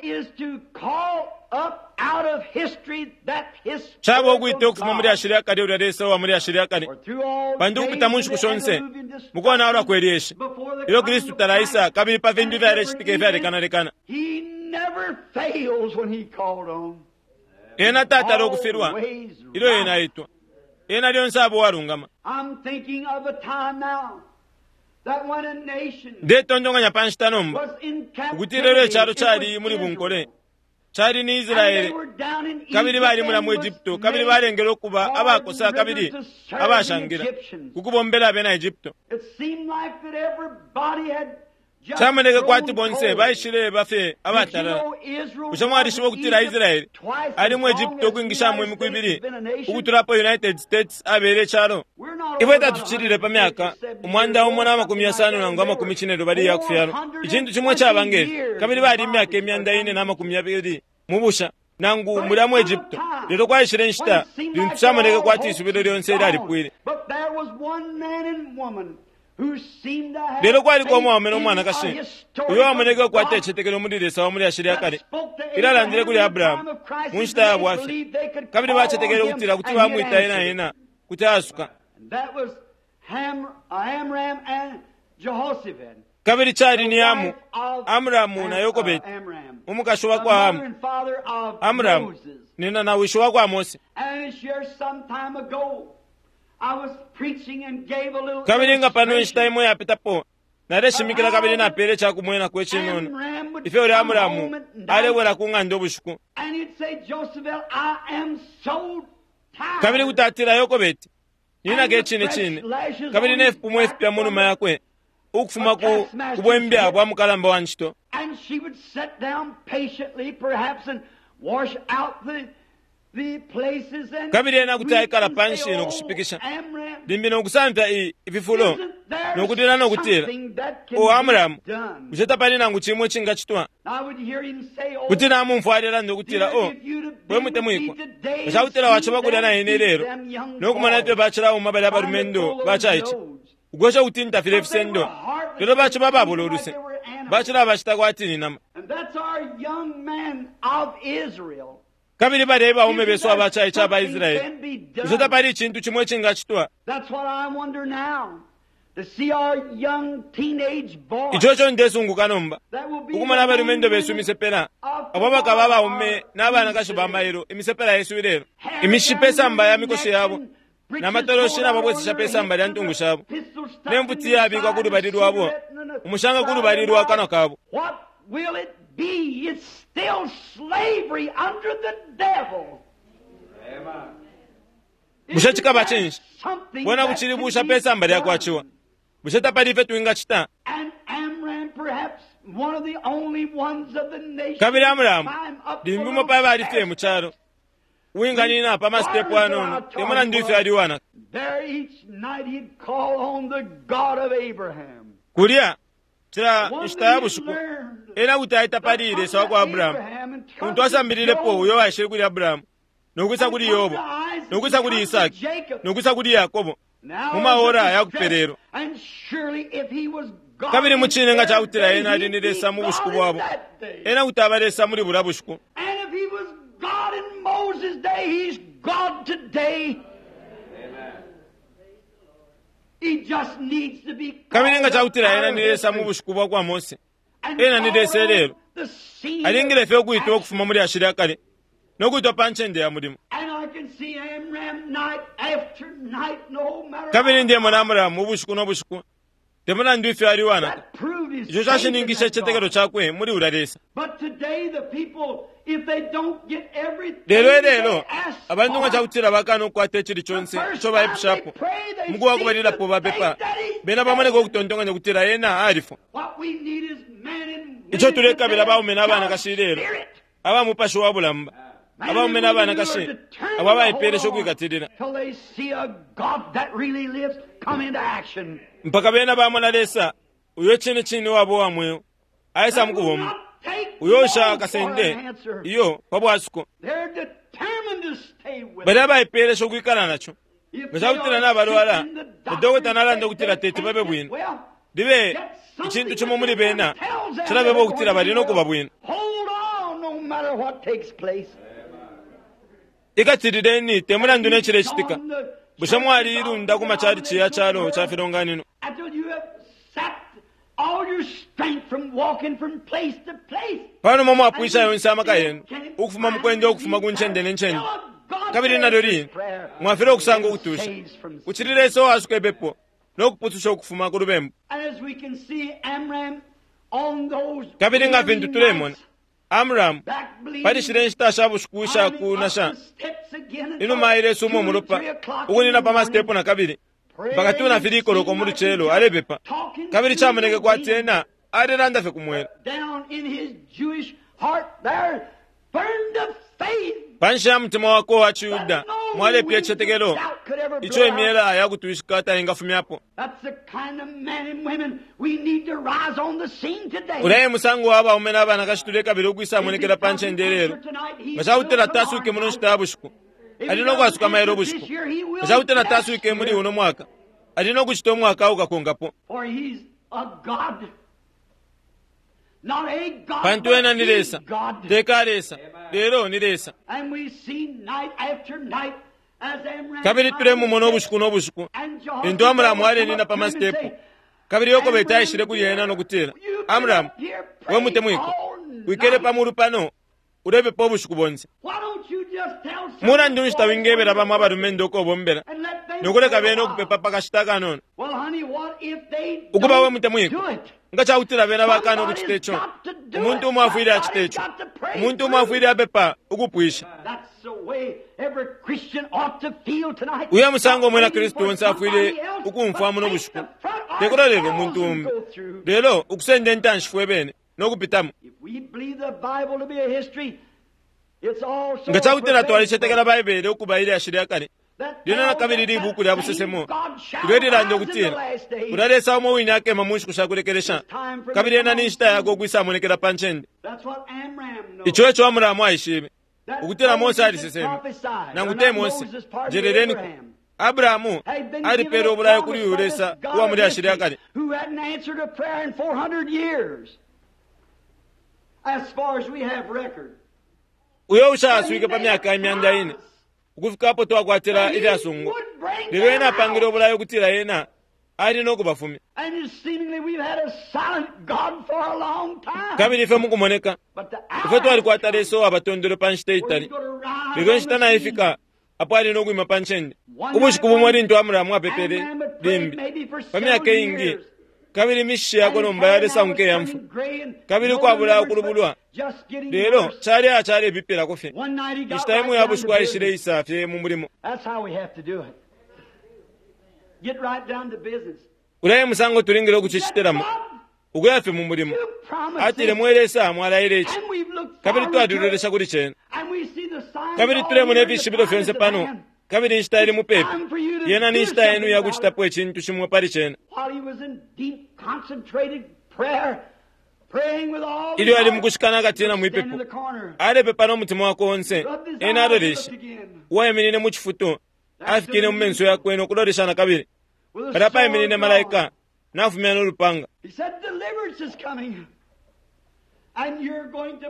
Caba ukwita ukufuma mu lyashi lya kale ulya Lesa uwa mu lyashi lya kale, pantu ukupita mu nshiku shonse mu konaulwa kwe lyeshi ilyo Kristu talaisa kabili pa fintu ifyalecitika ifyalekanalekana. Ena tatala ukufilwa ilyo ena aitwa. Ena lyonse aba uwalungama. Ndetontonkanya pa nshita nomba ukutila ilyo icalo cali muli bunkole, cali ni Israele, kabili bali mulya mu Egypto, kabili balengelwe ukuba abakosa kabili abashangila ku kubombela abena Egypto. Camoneke kwati bonse baishileba fye abatalala. Bushe mwalishiba ukutila Israele ali mu Egypto ukwingishamo imiku ibili ukutula apo United States abele icalo? Ifwe tatucilile pa myaka 160 nangu 50 iya kufyalwa, icintu cimo caba nge fyo, kabili bali imyaka 420 mu busha nangu mulya mu Egypto. Lelo kwaishile inshita lintu camoneke kwati isubilo lyonse lyalipwile. Lelo kwaliko umwaume no mwanakashi uyo wamoneke ukukwata icitetekelo muli Lesa wa mulyashi lya kale, ilyo alandile kuli Abrahamu mu nshita ya bwafya, kabili bacetekele ukutila kuti bamwita ena ena kuti aasuka. Kabili cali ni Amu, Amramu na Yokobeti, umukashi wa kwa Amu, Amramu nina na wishi wa kwa Mose. Kabili nga pano inshita imo yapitapo naleshimikila kabili napele ica kumwenako icinono ifyo ulya Amramu alebwela ku ng'anda ubushiku. Kabili kuti atila, Yokobeti, ninaka icine cine, kabili ne fipumo ifipya mu numa yakwe ukufuma ku kubwembya bwa mukalamba wa ncito. Kabili ena kuti aikala panshi no kushipikisha, limbi no kusamfya i, ififulo, no kutila no kutila, O Amramu, bushe tapali nangu cimo icingacitwa? Kuti namumfwa alelanda ukutila, O, we mutemwikwa, nga ca kutila waciba kulya na ine ilelo, no kumona ifyo bacilauma balya balumendo bacaice, ukwesha ukutinta filya ifisendo, lelo baciba ababula uluse, bacilabacita kwati ni nama. Kabili balya ebaume besu abacaice aba Israele. Bushe tapali icintu cimo icingacitwa? Ico eco ndesunguka nomba, ukumona abalumendo besu imisepela, abo abakaba abaume na banakashi ba mailo, imisepela yesu ilelo, imishi pe samba ya mikoshi yabo, na matoloshi nababwesesha pe samba lya ntungu shabo, ne mfuti iyabikwa ku lubali lwabo, umushanga ku lubali lwa kanwa kabo. Will it be? It's still slavery under the devil. Bushe cikaba cinshi? Bwena bucili busha pe samba lya kwa ciwa. Bushe tapali ifyo twingacita? Kabili Amramu, limbi umo pa bali fye mu calo, uwinganina pa masitepu ayanono, te mulandu ifyo ali uwanaka. Kulya, cila nshita ya bushiku, ena kuti aita pali Lesa wa kwa Abrahamu, untu asambililepo uyo waishile kuli Abrahamu, no kwisa kuli Yobo, no kwisa kuli Isaki, no kwisa kuli Yakobo, mu maora ya kupelelwa. Kabili mucine nga ca kutila ena ali ni Lesa mu bushiku bwabo, ena kuti aba Lesa muli bulya bushiku. Kabili nga ca kutila ena ni Lesa mu bushiku bwa kwa Mose, ena ni Lesa ilelo. Alingile fye ukuitwa ukufuma mu lyashi lya kale no kuitwa pa ncende ya mulimo. Kabili ndemona Amramu ubushiku no bushiku, te mulandu ifyo ali uwanaka, ico cashininkishe icitetekelo cakwe muli ulya Lesa. Lelo ilelo, abantu nga ca kutila bakana ukukwata icili conse ico baipushapo, umuku wa kubalilapo bapepa, bena bamoneka ukutontonkanya ukutila ena alifwa. Ico tulekabila baume na banakashi ilelo, aba mupashi wa bulamba, abaume na banakashi abo abaipeelesha ukwikatilila mpaka bena bamona Lesa uyo cine cine wabo wa mweo aisa mukubomba, uyo ushakasende iyo pa bwasuko. Bali abaipeelesha ukwikala naco. Nga ca kutila nabalwala, na dokota nalanda ukutila teti babe bwino, libe icintu cimo muli bena cilabeba ukutila bali no kuba bwino. Ikatilileni te mulandu ne cilecitika. Bushe mwaliilunda ku macalici ya calo ca filonganino? Pa numa mwapwisha yonse amaka yenu ukufuma mu kwenda ukufuma ku ncende ne ncende, kabili nalyo line mwafilwa ukusanga ukutusha, kucili Lesa uwasuka ipepo no kupususha ukufuma ku lubembu. Kabili nga fintu tulemona Amramu pali shile nshita sha bushiku isha kunasha, inuma ailesuma umulopa ukunina pa masitepu na kabili mpaka 2 na 3 koloko mu lucelo alepepa, kabili camoneke kwati ena alelanda fye ku mwela. Panshi ya mutima wakwe uwa ciYuda mwalepya icitetekelo ico imyela ya kutwishika taingafumyapo. Ulya e musango wa baume na banakashi tulekabila ukwisamonekela pa ncende ilelo. Nga ca kutila taaswike muno nshita ya bushiku, ali no kwasuka mailo ubushiku. Nga ca kutila taaswike muli uno mwaka, ali no kucita umwaka ukakonkapo. Pantu ena ni Lesa, te ka Lesa, lelo ni Lesa. Kabili tulemumona ubushiku no bushiku lintu Amramu alenina pa masitepu, kabili Yokobeti aishile kuli ena no kutila, Amramu, we mutemwikwa, wikele pa mulu pano ulepepa ubushiku bonse. Mulandu nshi tawingebela bamo abalumendo uko ubombela no kuleka bena ukupepa pa kashita kanono? Ukuba we mutemwikwa, nga ca kutila bena bakana ukucita ico, umuntu umo afwile acita ico. Umuntu umo afwile apepa ukupwisha. Uyo musango umwina Kristu onse afwile ukumfwa muno bushiku, te kulolela umuntu umbi, lelo ukusenda intanshi fwe bene no kupitamo. Nga ca kutila twalicetekela Baibele ukuba ilyashi lya kale, lyena na kabili libuuku lya busesemo ilyo ililanda ukutila ulya Lesa umo wine akema mu nshiku sha kulekelesha, kabili ena ni nshita yakwe ukwisamonekela pa ncende. Ico eco Amuramu aishibe, ukutila Mose aliseseme, nangu te Mose, njeleleniko. Abrahamu alipeele ubulayo kuli uyu Lesa uwa mu lyashi lya kale. Uyo ushaaswike pa myaka imyanda ine ukufika apo twakwatila ilyasungu, lelo ena apangile ubulayo ukutila ena ali no kubafumya. Kabili ifwe mukumoneka ifwe twalikwata Lesa uwabatondolo pa nshita itali, lelo inshita naifika apo ali no kwima pa ncende. Ubushiku bumo lintu Amramu apepele limbi pa myaka iingi, kabili imishishi yakwe nomba yalesanguka iya mfwa, kabili ukwabula ukulubulwa, lelo cali acalebipilako fye. Inshita imo ya bushiku aishileisa fye mu mulimo. Ulya e musango tulingile ukucicitilamo, ukuya fye mu mulimo. Atile, mwe Lesa, mwalaile ici, kabili twalilolesha kuli cena, kabili tulemona ifishibilo fyonse pano, kabili inshita ili mupepi. Yena ni nshita yenu ya kucitapo icintu cimo pali cena. Ilyo ali mukushikana akatina mwipepo, alepepa no mutima wakwe onse. Ena aloleshe uwaiminine mu cifutu, afikile mu menso yakwe no kulolesha na kabili. Palya paiminine malaika nafumya no lupanga.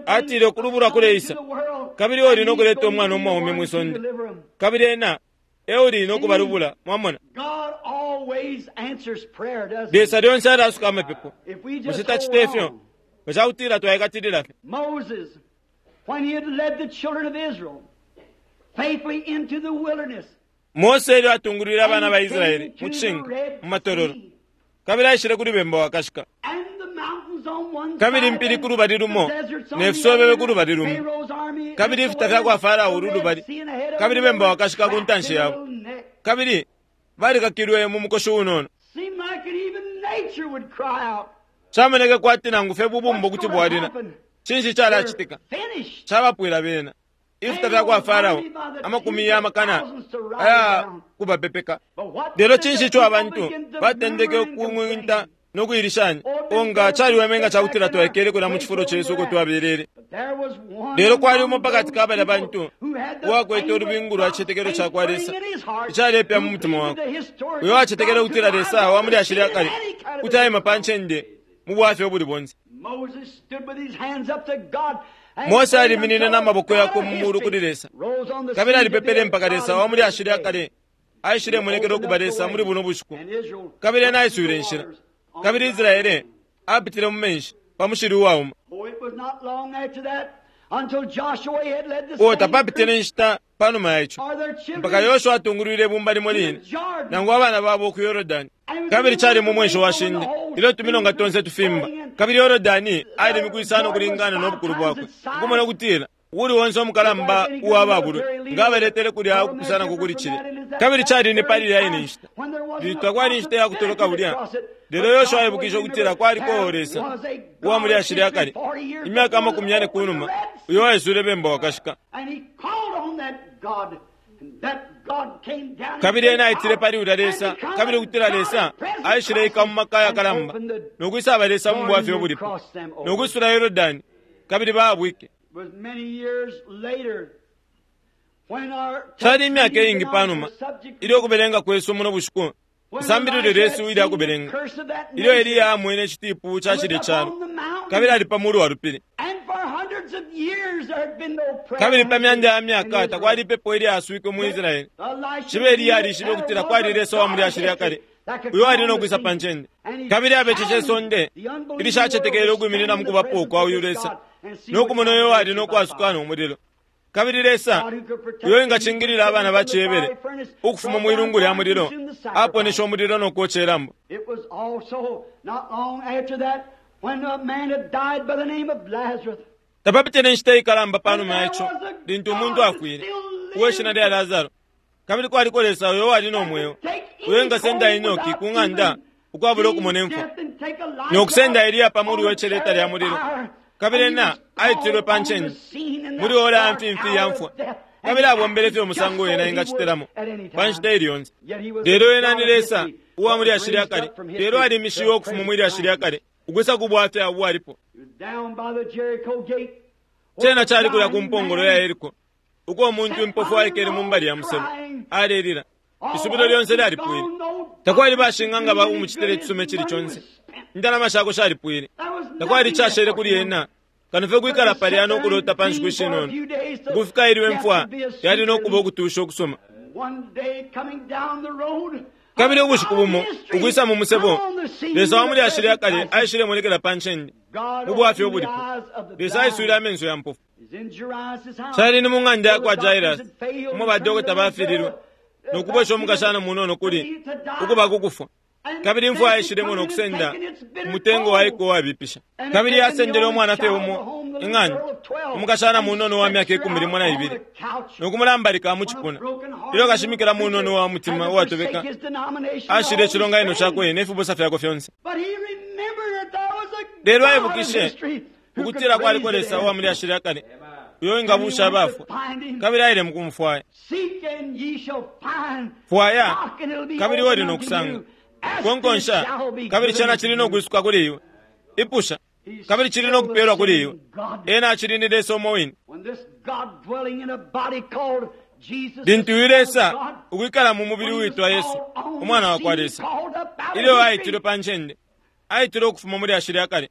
Atile, ukulubulwa kuleisa, kabili uli no kuleta umwana umwaume mwi sonde, kabili ena e uli no kubalubula. Mwamona, Lesa lyonse alasuka amapepo. Bushe tacita ifyo? Nga ca kutila twaikatilila fye. Mose ilyo atungulwile abana ba Israele mu cishinka mu matololo, kabili aishile kuli bemba wakashika, kabili impili ku lubali lumo ne fisobebe ku lubali lumo, kabili ifita fya kwa Farao ulu lubali, kabili bemba wakashika ku ntanshi yabo, kabili balikakilwe mu mukoshi unono. Camoneke kwati nangu fye bubumbo kuti bwalila. Cinshi calacitika? Cabapwila bena. Ifita fya kwa Farao amakumi ya makana aya kubapepeka. Lelo cinshi ico abantu batendeke ukung'winta no kuilishanya? O nga caliweme nga cakutila twaikele kulya mu cifulo cesu uko twabelele. Lelo kwali umo pakati ka balya bantu uwakwete ulubingu lwa cicetekelo ca kwa Lesa icalepya mu mutima wakwe, uyo wacetekele ukutila Lesa wa mulyashi lya kale kuti aima pa ncende mu bwafya ubuli bonse. Mose aliminine na maboko yakwe mu mulu kuli Lesa, kabili alipepele mpaka Lesa wa mulyashi lya kale aishilemonekela ukuba Lesa muli buno bushiku, kabili ena aiswile inshila, kabili Israele apitile mu menshi pa mushili uwauma. O tapapitile inshita panuma ya ico mpaka Yoshua atungulwile ibumba limo line nangu abana babo ku Yorodani. Kabili cali mu mwenshi wa shinde ilyo tumilonga tonse tufimba, kabili Yorodani ali imiku isano ukulingana no bukulu bwakwe, ukumona ukutila uuli onse umukalamba uwa babulwe nga abaletele kulya ukupusanako kuli cilya. Kabili cali ni pali ilya ine nshita lintu takwali inshita ya kutoloka bulya. Lelo Yoshua aibukishe ukutila kwaliko Lesa uwa mulyashi lya kale imyaka 40 ku numa uyo waiswile bemba wakashika. Kabili ena aitile pali ulya Lesa, kabili ukutila Lesa aishileika mu maka ayakalamba no kwisaba Lesa mu bwafya ubulipo no kwisula Yorodani, kabili baabwike. Cali imyaka iingi panuma ilyo ukubelenga kwesu muno bushiku isambililo lyesu ilya kubelenga, ilyo Eliya amwene icitipu ca cilye calo, kabili ali pa mulu wa lupili. Kabili pa myanda ya myaka takwali ipepo ilyaswike mu Israele. Cibe Eliya alishibe ukutila kwali Lesa wa mulyashi lya kale uyo ali no kwisa pa ncende, kabili abeceshe isonde ilishacetekele ukwiminina mu kubapo kwa uyu Lesa no kumona uyo ali no kwasuka no mulilo. Kabili Lesa uyo ingacingilila abana ba ciHebere ukufuma mwi lungu lya mulilo aponesha umulilo no kwoca ilambo. Tapapitile inshita ikalamba panuma ya ico lintu umuntu afwile uwe shina lya Lazaro, kabili kwaliko Lesa uyo wali no mweo uyo engasenda Enoki ku ng'anda ukwabula ukumona imfwa, no kusenda Eliya pa mulu we celeta lya mulilo, kabili ena aitilwe pa ncende muli ora ya mfimfi ya mfwa, kabili abombele fye umusango ena engacitilamo pa nshita ili yonse. Lelo ena ni Lesa uwa mulyashi lya kale, lelo alimishiwe ukufuma mwi lyashi lya kale ukwisa ku bwafya ubwalipo. Cena cali kulya ku mpongolo ya Yeriko, uko umuntu impofu aikele mu mbali ya musebo alelila. Isubilo lyonse lyalipwile. Takwali bashing'anga ba umucitile icisuma icili conse. Indalama shakwe shalipwile. Takwali icashele kuli ena kano fye kwikala palya no kulota pa nshiku ishinono ukufika ilyo imfwa yali no kuba ukutusha ukusuma. Kabili ubushiku bumo ukwisa mu musebo, Lesa wa mulyashi lya kale aishilemonekela pa ncende mu bwafya ubulipo. Lesa aiswile amenso ya mpofu. Cali ni mu ng'anda ya kwa Jairus umo badokota bafililwe no kubwesha umukashana munono kuli ukuba kukufwa. Kabili imfwa yaishilemo no kusenda umutengo waiko uwabipisha. Kabili yasendele umwana fye umo ing'anda, umukashana munono wa myaka 12, no kumulambalika mu cipuna. Ilyo kashimikila munono wa mutima uwatobeka ashile icilonganino cakwe ne fibusa fyakwe fyonse. Lelo aibukishe ukutila kwaliko Lesa uwa mulyashi lya kale uyo engabusha abafwa, kabili aile mukumufwaya. Fwaya, kabili uli no kusanga. Konkonsha, kabili cena cili no kwisuka kuli iwe. Ipusha, kabili cili no kupelwa kuli iwe. Ena acili ni Lesa umo wine. Lintu uyu Lesa ukwikala mu mubili uitwa Yesu, Umwana wa kwa Lesa, ilyo aitilwe pa ncende, aitilwe ukufuma mu lyashi lya kale.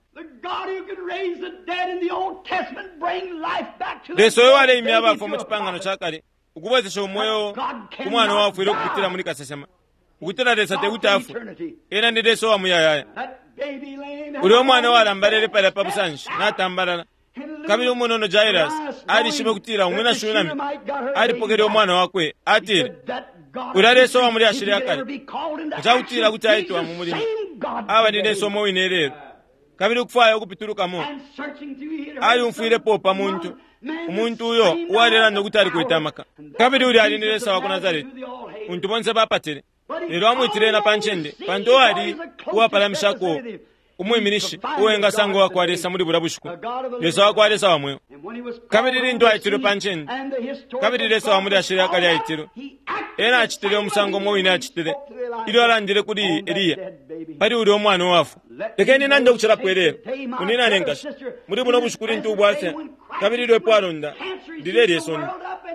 Lesa uyo waleimya abafwa mu cipangano ca kale, ukubwesesha umweo ku mwana uwafwile ukupitila muli kasesema, ukutila Lesa tekuti afwe, ena ni Lesa uwa muyayaya. Ulya umwana uwalambalele palya pa busanshi natambalala, kabili umunono Jairus alishibe ukutila umwina Shunami alipokele umwana wakwe. Atile, ulya Lesa uwa mulyashi lya kale, ncakutila kuti aitwa mu mulimo, aba ni Lesa umo wine ilelo. Kabili ukufwaya ukupitulukamo, aliumfwilepo pa muntu, umuntu uyo uwalelanda ukuti alikwete amaka. Kabili ulya ali ni Lesa wa ku Nazareti, untu bonse bapatile. Lelo amwitile ena pa ncende, pantu uwali uwapalamishako Umwiminishi uwengasanga uwakwa Lesa muli bulya bushiku, Lesa wakwa Lesa wa mweo. Kabili lintu aitilwe pa ncende, kabili Lesa wa muli ashili akali aitilwe, ena acitile umusango umo wine acitile ilyo alandile kuli Eliya pali ulya umwana uwafwa. Lekeni nande ukucilapo ilelo, munyina ne nkashi, muli buno bushiku lintu ubwafya kabili ilyo ipwalonda lilelye sonde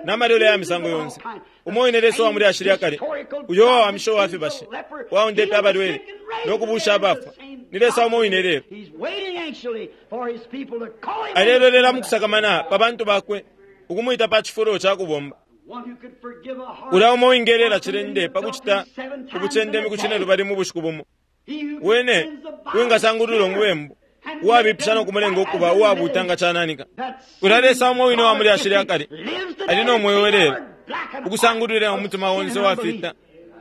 na malwele ya misango yonse, umo wine Lesa wa muli ashili akale uyo uwawamisha uwa fibashi, uwaundepe abalwele no kubusha abafwa, ni Lesa umo wine lelo. Alelolela mukusakamana pa bantu bakwe ukumwita pa cifulo ca kubomba. Ulya umo wingelela cilende pa kucita ubucende imiku cinelubali mu bushiku bumo, wene uwingasangulula umubembu uwabipisha no kumulenga ukuba uwabuuta nga cananika. Ulya Lesa umo wine uwa muli ashili akale ali no mweo lelo, ukusangulula umutima onse uwafita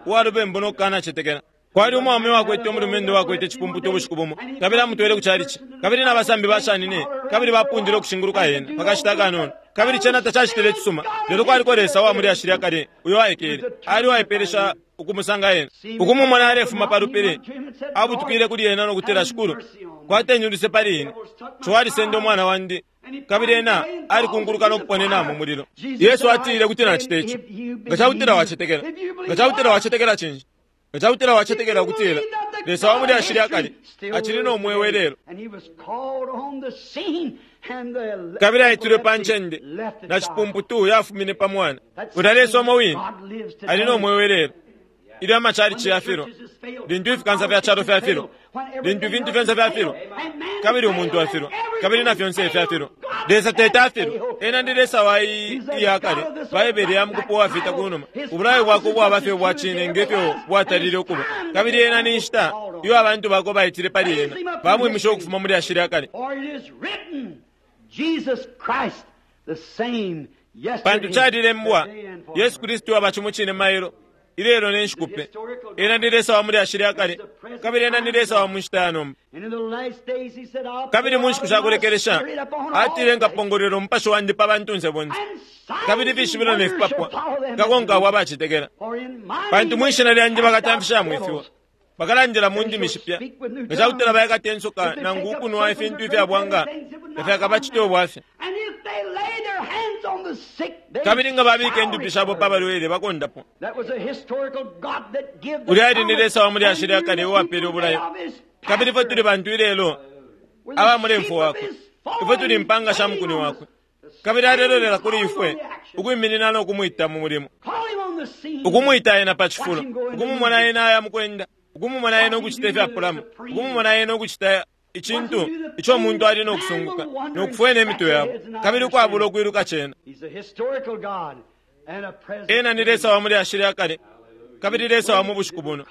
uwa lubembu no kukanacetekela. Kwali umwaume uwakwete umulumendo uwakwete icipumputu ubushiku bumo, kabili amutwele ku chalichi, kabili na basambi bashanine, kabili bapundile ukushinguluka ena pakashita akanono. Kabili cena tacacitile icisuma, lelo kwaliko Lesa uwa muli ashili akale uyo aikele, ali uwaipelesha ukumusanga ena. Ukumumona alefuma pa lupili, abutukile kuli ena no kutila, Shikulu, kwateni uluse pali ine, ciwa alisenda umwana wandi. Kabili ena alikunkuluka no kuponena mu mulilo. Yesu atile kuti nacita ico. Nga cakutila wacetekela, nga cakutila wacetekela cinshi? Nga cakutila wacetekela ukutila Lesa wa muli ashili akale acili no mweo ilelo, kabili aitilwe pa ncende na cipumputu yafumine pa mwana. Ulya Lesa umo wine ali no mweo ilelo. Ilyo amachalichi yafilwa, lintu ifikansa fya calo fyafilwa, lintu ifintu fyonse fyafilwa, kabili umuntu afilwa, kabili na fyonse fyafilwa, Lesa teta afilwa. Ena ndi Lesa wa iya kale, Baibele ya mukupo uwafita kunuma. Ubulayo bwakwe bwaba fye ubwa cine nge fyo bwatalile ukuba. Kabili ena ni nshita iyo abantu bakwe baitile pali ena, bamwimisha ukufuma muli ashili akale. Pantu calilembwa, Yesu Kristu aba cimo cine mailo, ilelo ne nshiku pe. Ena ni Lesa wa muli ashili akale, kabili ena ni Lesa wa mu nshita ya nomba. Kabili mu nshiku sha kulekelesha atile, nkapongolwela umupashi wandi pa bantunse bonse, kabili ifishibilo ne fipapwa fikakonka abo abacetekela. Pantu mwi shina lyandi bakatamfishamo ifiwa, bakalandila mu ndimi shipya, nga cakutila baikata insoka nangu ukunwa ifintu ifya bwanga tafyakabacite ubwafya. Kabili nga babika indupi shabo pa balwele bakondapwa. Ulya ali ni Lesa wa muli ashili akale uwapele ubulayo. Kabili ifwe tuli bantu ilelo aba mulemfo wakwe, ifwe tuli impanga sha mukuni wakwe, kabili alelolela kuli ifwe ukwiminina no kumwita mu mulimo, ukumwita ena pa cifulo, ukumumona ena aya mukwenda, ukumumona ena ukucita ifyapulamo, ukumumona ena ukucita icintu ico umuntu ali no kusunguka no kufwena imitwe yabo, kabili ukwabula ukwiluka cena. Ena ni Lesa wa muli ashili akale, kabili Lesa wa mu bushiku buno.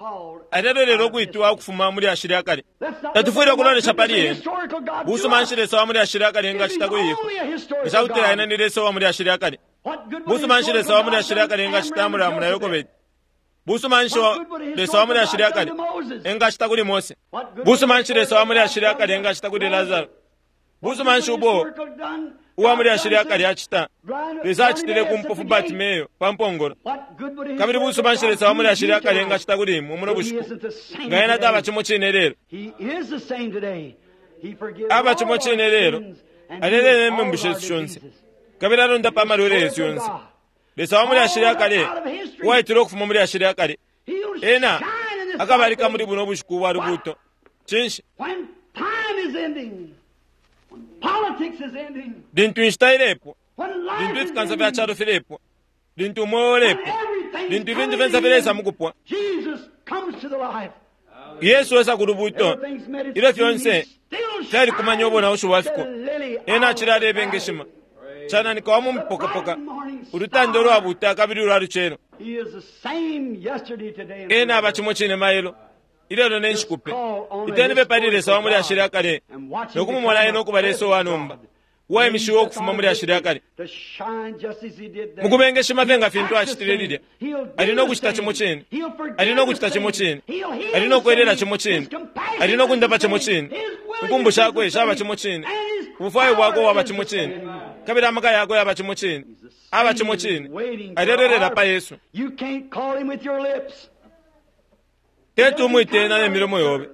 Alelolela ukwitiwa ukufuma muli ashili akale. Tatufwile ukulolesha pali ena. Busuma nshi Lesa wa muli ashili akale engacita kuli ifwe? Nga cakutila ena ni Lesa wa muli ashili akale, busuma nshi Lesa wa muli ashili akale engacita Amuramu na Yokobedi? Busuma nshi Lesa wa muli ashili akale engacita kuli Mose? Busuma nshi Lesa wa muli ashili akale engacita kuli Lazaro? Busuma nshi ubo uwa muli ashili akale acita Lesa acitile ku mpofu Bartimeyo pa mpongolo? Kabili busuma nshi Lesa wa muli ashili akale engacita kuli imwe muno bushiku? Nga ena taba cimo cine lelo, aba cimo cine lelo, alelele imembu shesu shonse, kabili alondapa amalwele yesu yonse. Lesa wa muli ashili akale uwaitile ukufuma muli ashili akale, ena akabalika muli buno bushiku bwa lubuuto. Cinshi? Lintu inshita ilepwa, lintu ifikansa fya calo filepwa, lintu umweo ulepwa, lintu ifintu fyonse filesa mukupwa, Yesu esa ku lubuuto. Ilyo fyonse fyalikumanya ubonaushi bwa fiko, ena acili alebengeshima cananika wa mu mupokapoka, ulutanda ulwabuuta kabili ulwa lucelo. Ena aba cimo cine mailo, ilelo ne nshiku pe. Iteni fye pali Lesa wa muli ashili akale no kumumona ena ukuba Lesa uwa nomba, uwaimishiwe ukufuma muli ashili akale. Mukubengeshima fye nga fintu acitile lilya, ali no kucita cimo cine, ali no kucita cimo cine, ali no kwelela cimo cine, ali no kundapa cimo cine. Inkumbu shakwe shaba cimo cine, ubufwayo bwakwe bwaba cimo cine, kabili amaka yakwe yaba cimo cine, aba cimo cine. Alelolela pa Yesu. Teti umwite ena ne milomo yobe.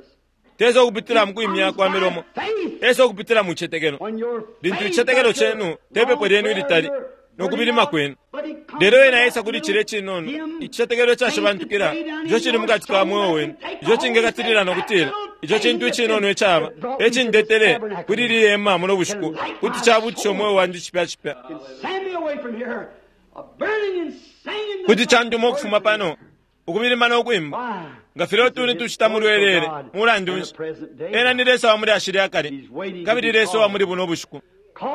Tesa ukupitila mu kwimya kwa milomo, esa ukupitila mu citetekelo. Lintu icitetekelo cenu tepepo lyenu ilitali no kubilima kwenu, lelo ena esa kuli cilya icinono icitetekelo icashibantukila ico cili mukati ka mweo wenu, ico cingekatilila no kutila ico cintu icinono icaba ecindetele kuli ili hema muno bushiku kuti cabutisha umweo wandi cipya cipya, kuti canduma ukufuma pano ukubilima no kwimba nga filya utuni tucita mu lwelele. Mulandu nshi, ena ni Lesa wa muli ashili akale, kabili Lesa wa muli buno bushiku.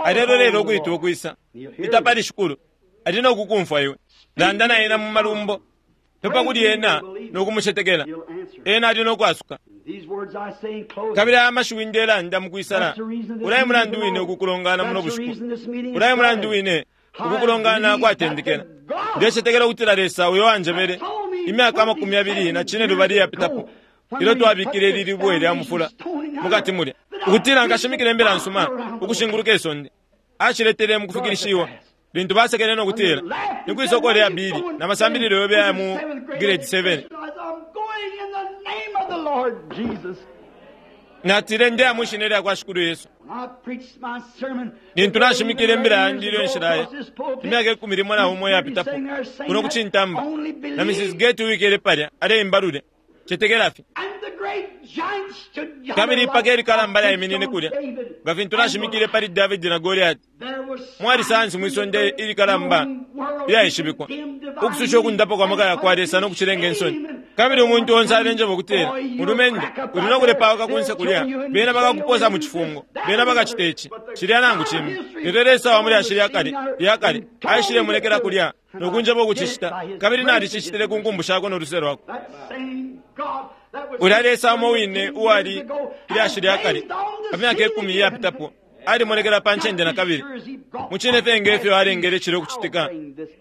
Alelolelo ukwitwa ukwisa. Ita pali Shikulu, ali no kukumfwa iwe. Landa na ena mu malumbo, pepa kuli ena no kumucetekela, ena ali no kwasuka. Kabili aya mashiwi ndelanda mukwisala, ulaye mulandu wine ukukulongana muno bushiku, ulaye mulandu wine ukukulongana kwatendekela. Ndecetekela ukutila Lesa uyo wanjebele imyaka 25 iyapitapo, ilyo twabikile ili libwe lya mufula mukati mulya, ukutila nkashimikile imbila nsuma ukushinguluka isonde, aciletele mukufikilishiwa lintu basekele no kutila ni kwisoko lya bili na masambililo yobe aya mu grade 7. Natile ndeya mwishina lya kwa Shikulu Yesu. Lintu nashimikile imbila yandi ilyo nshilaya imyaka 11 iyapitapo kuno kucintamba, na Mrs. Gate uwikele palya aleimba lulya, cetekela fye. Kabili ipaka ilikalamba lyaiminine kulya nga fintu nashimikile pali Davidi na Goliati. Mwali sayansi mwisonde ilikalamba ilyaishibikwa ukususha ukundapa kwa maka yakwa Lesa no kucilenga insoni. Kabili umuntu onse alenjeba ukutila, mulumendo uli no kulepauka kunse kulya, bena bakakuposa mu cifungo, bena bakacita ici cilya nangu cimbi. Lelo Lesa wa mulyashi lyakale lyakale aishile mulekela kulya no kunjeba ukucicita, kabili nalicicitile ku nkumbu shakwe no luse lwakwe. Ulya Lesa umo wine uwali ilyashi lyakale pa myaka 10 iyapitapo alimonekela pa ncende na kabili. Mucine fye nge fyo alengele cilya ukucitika,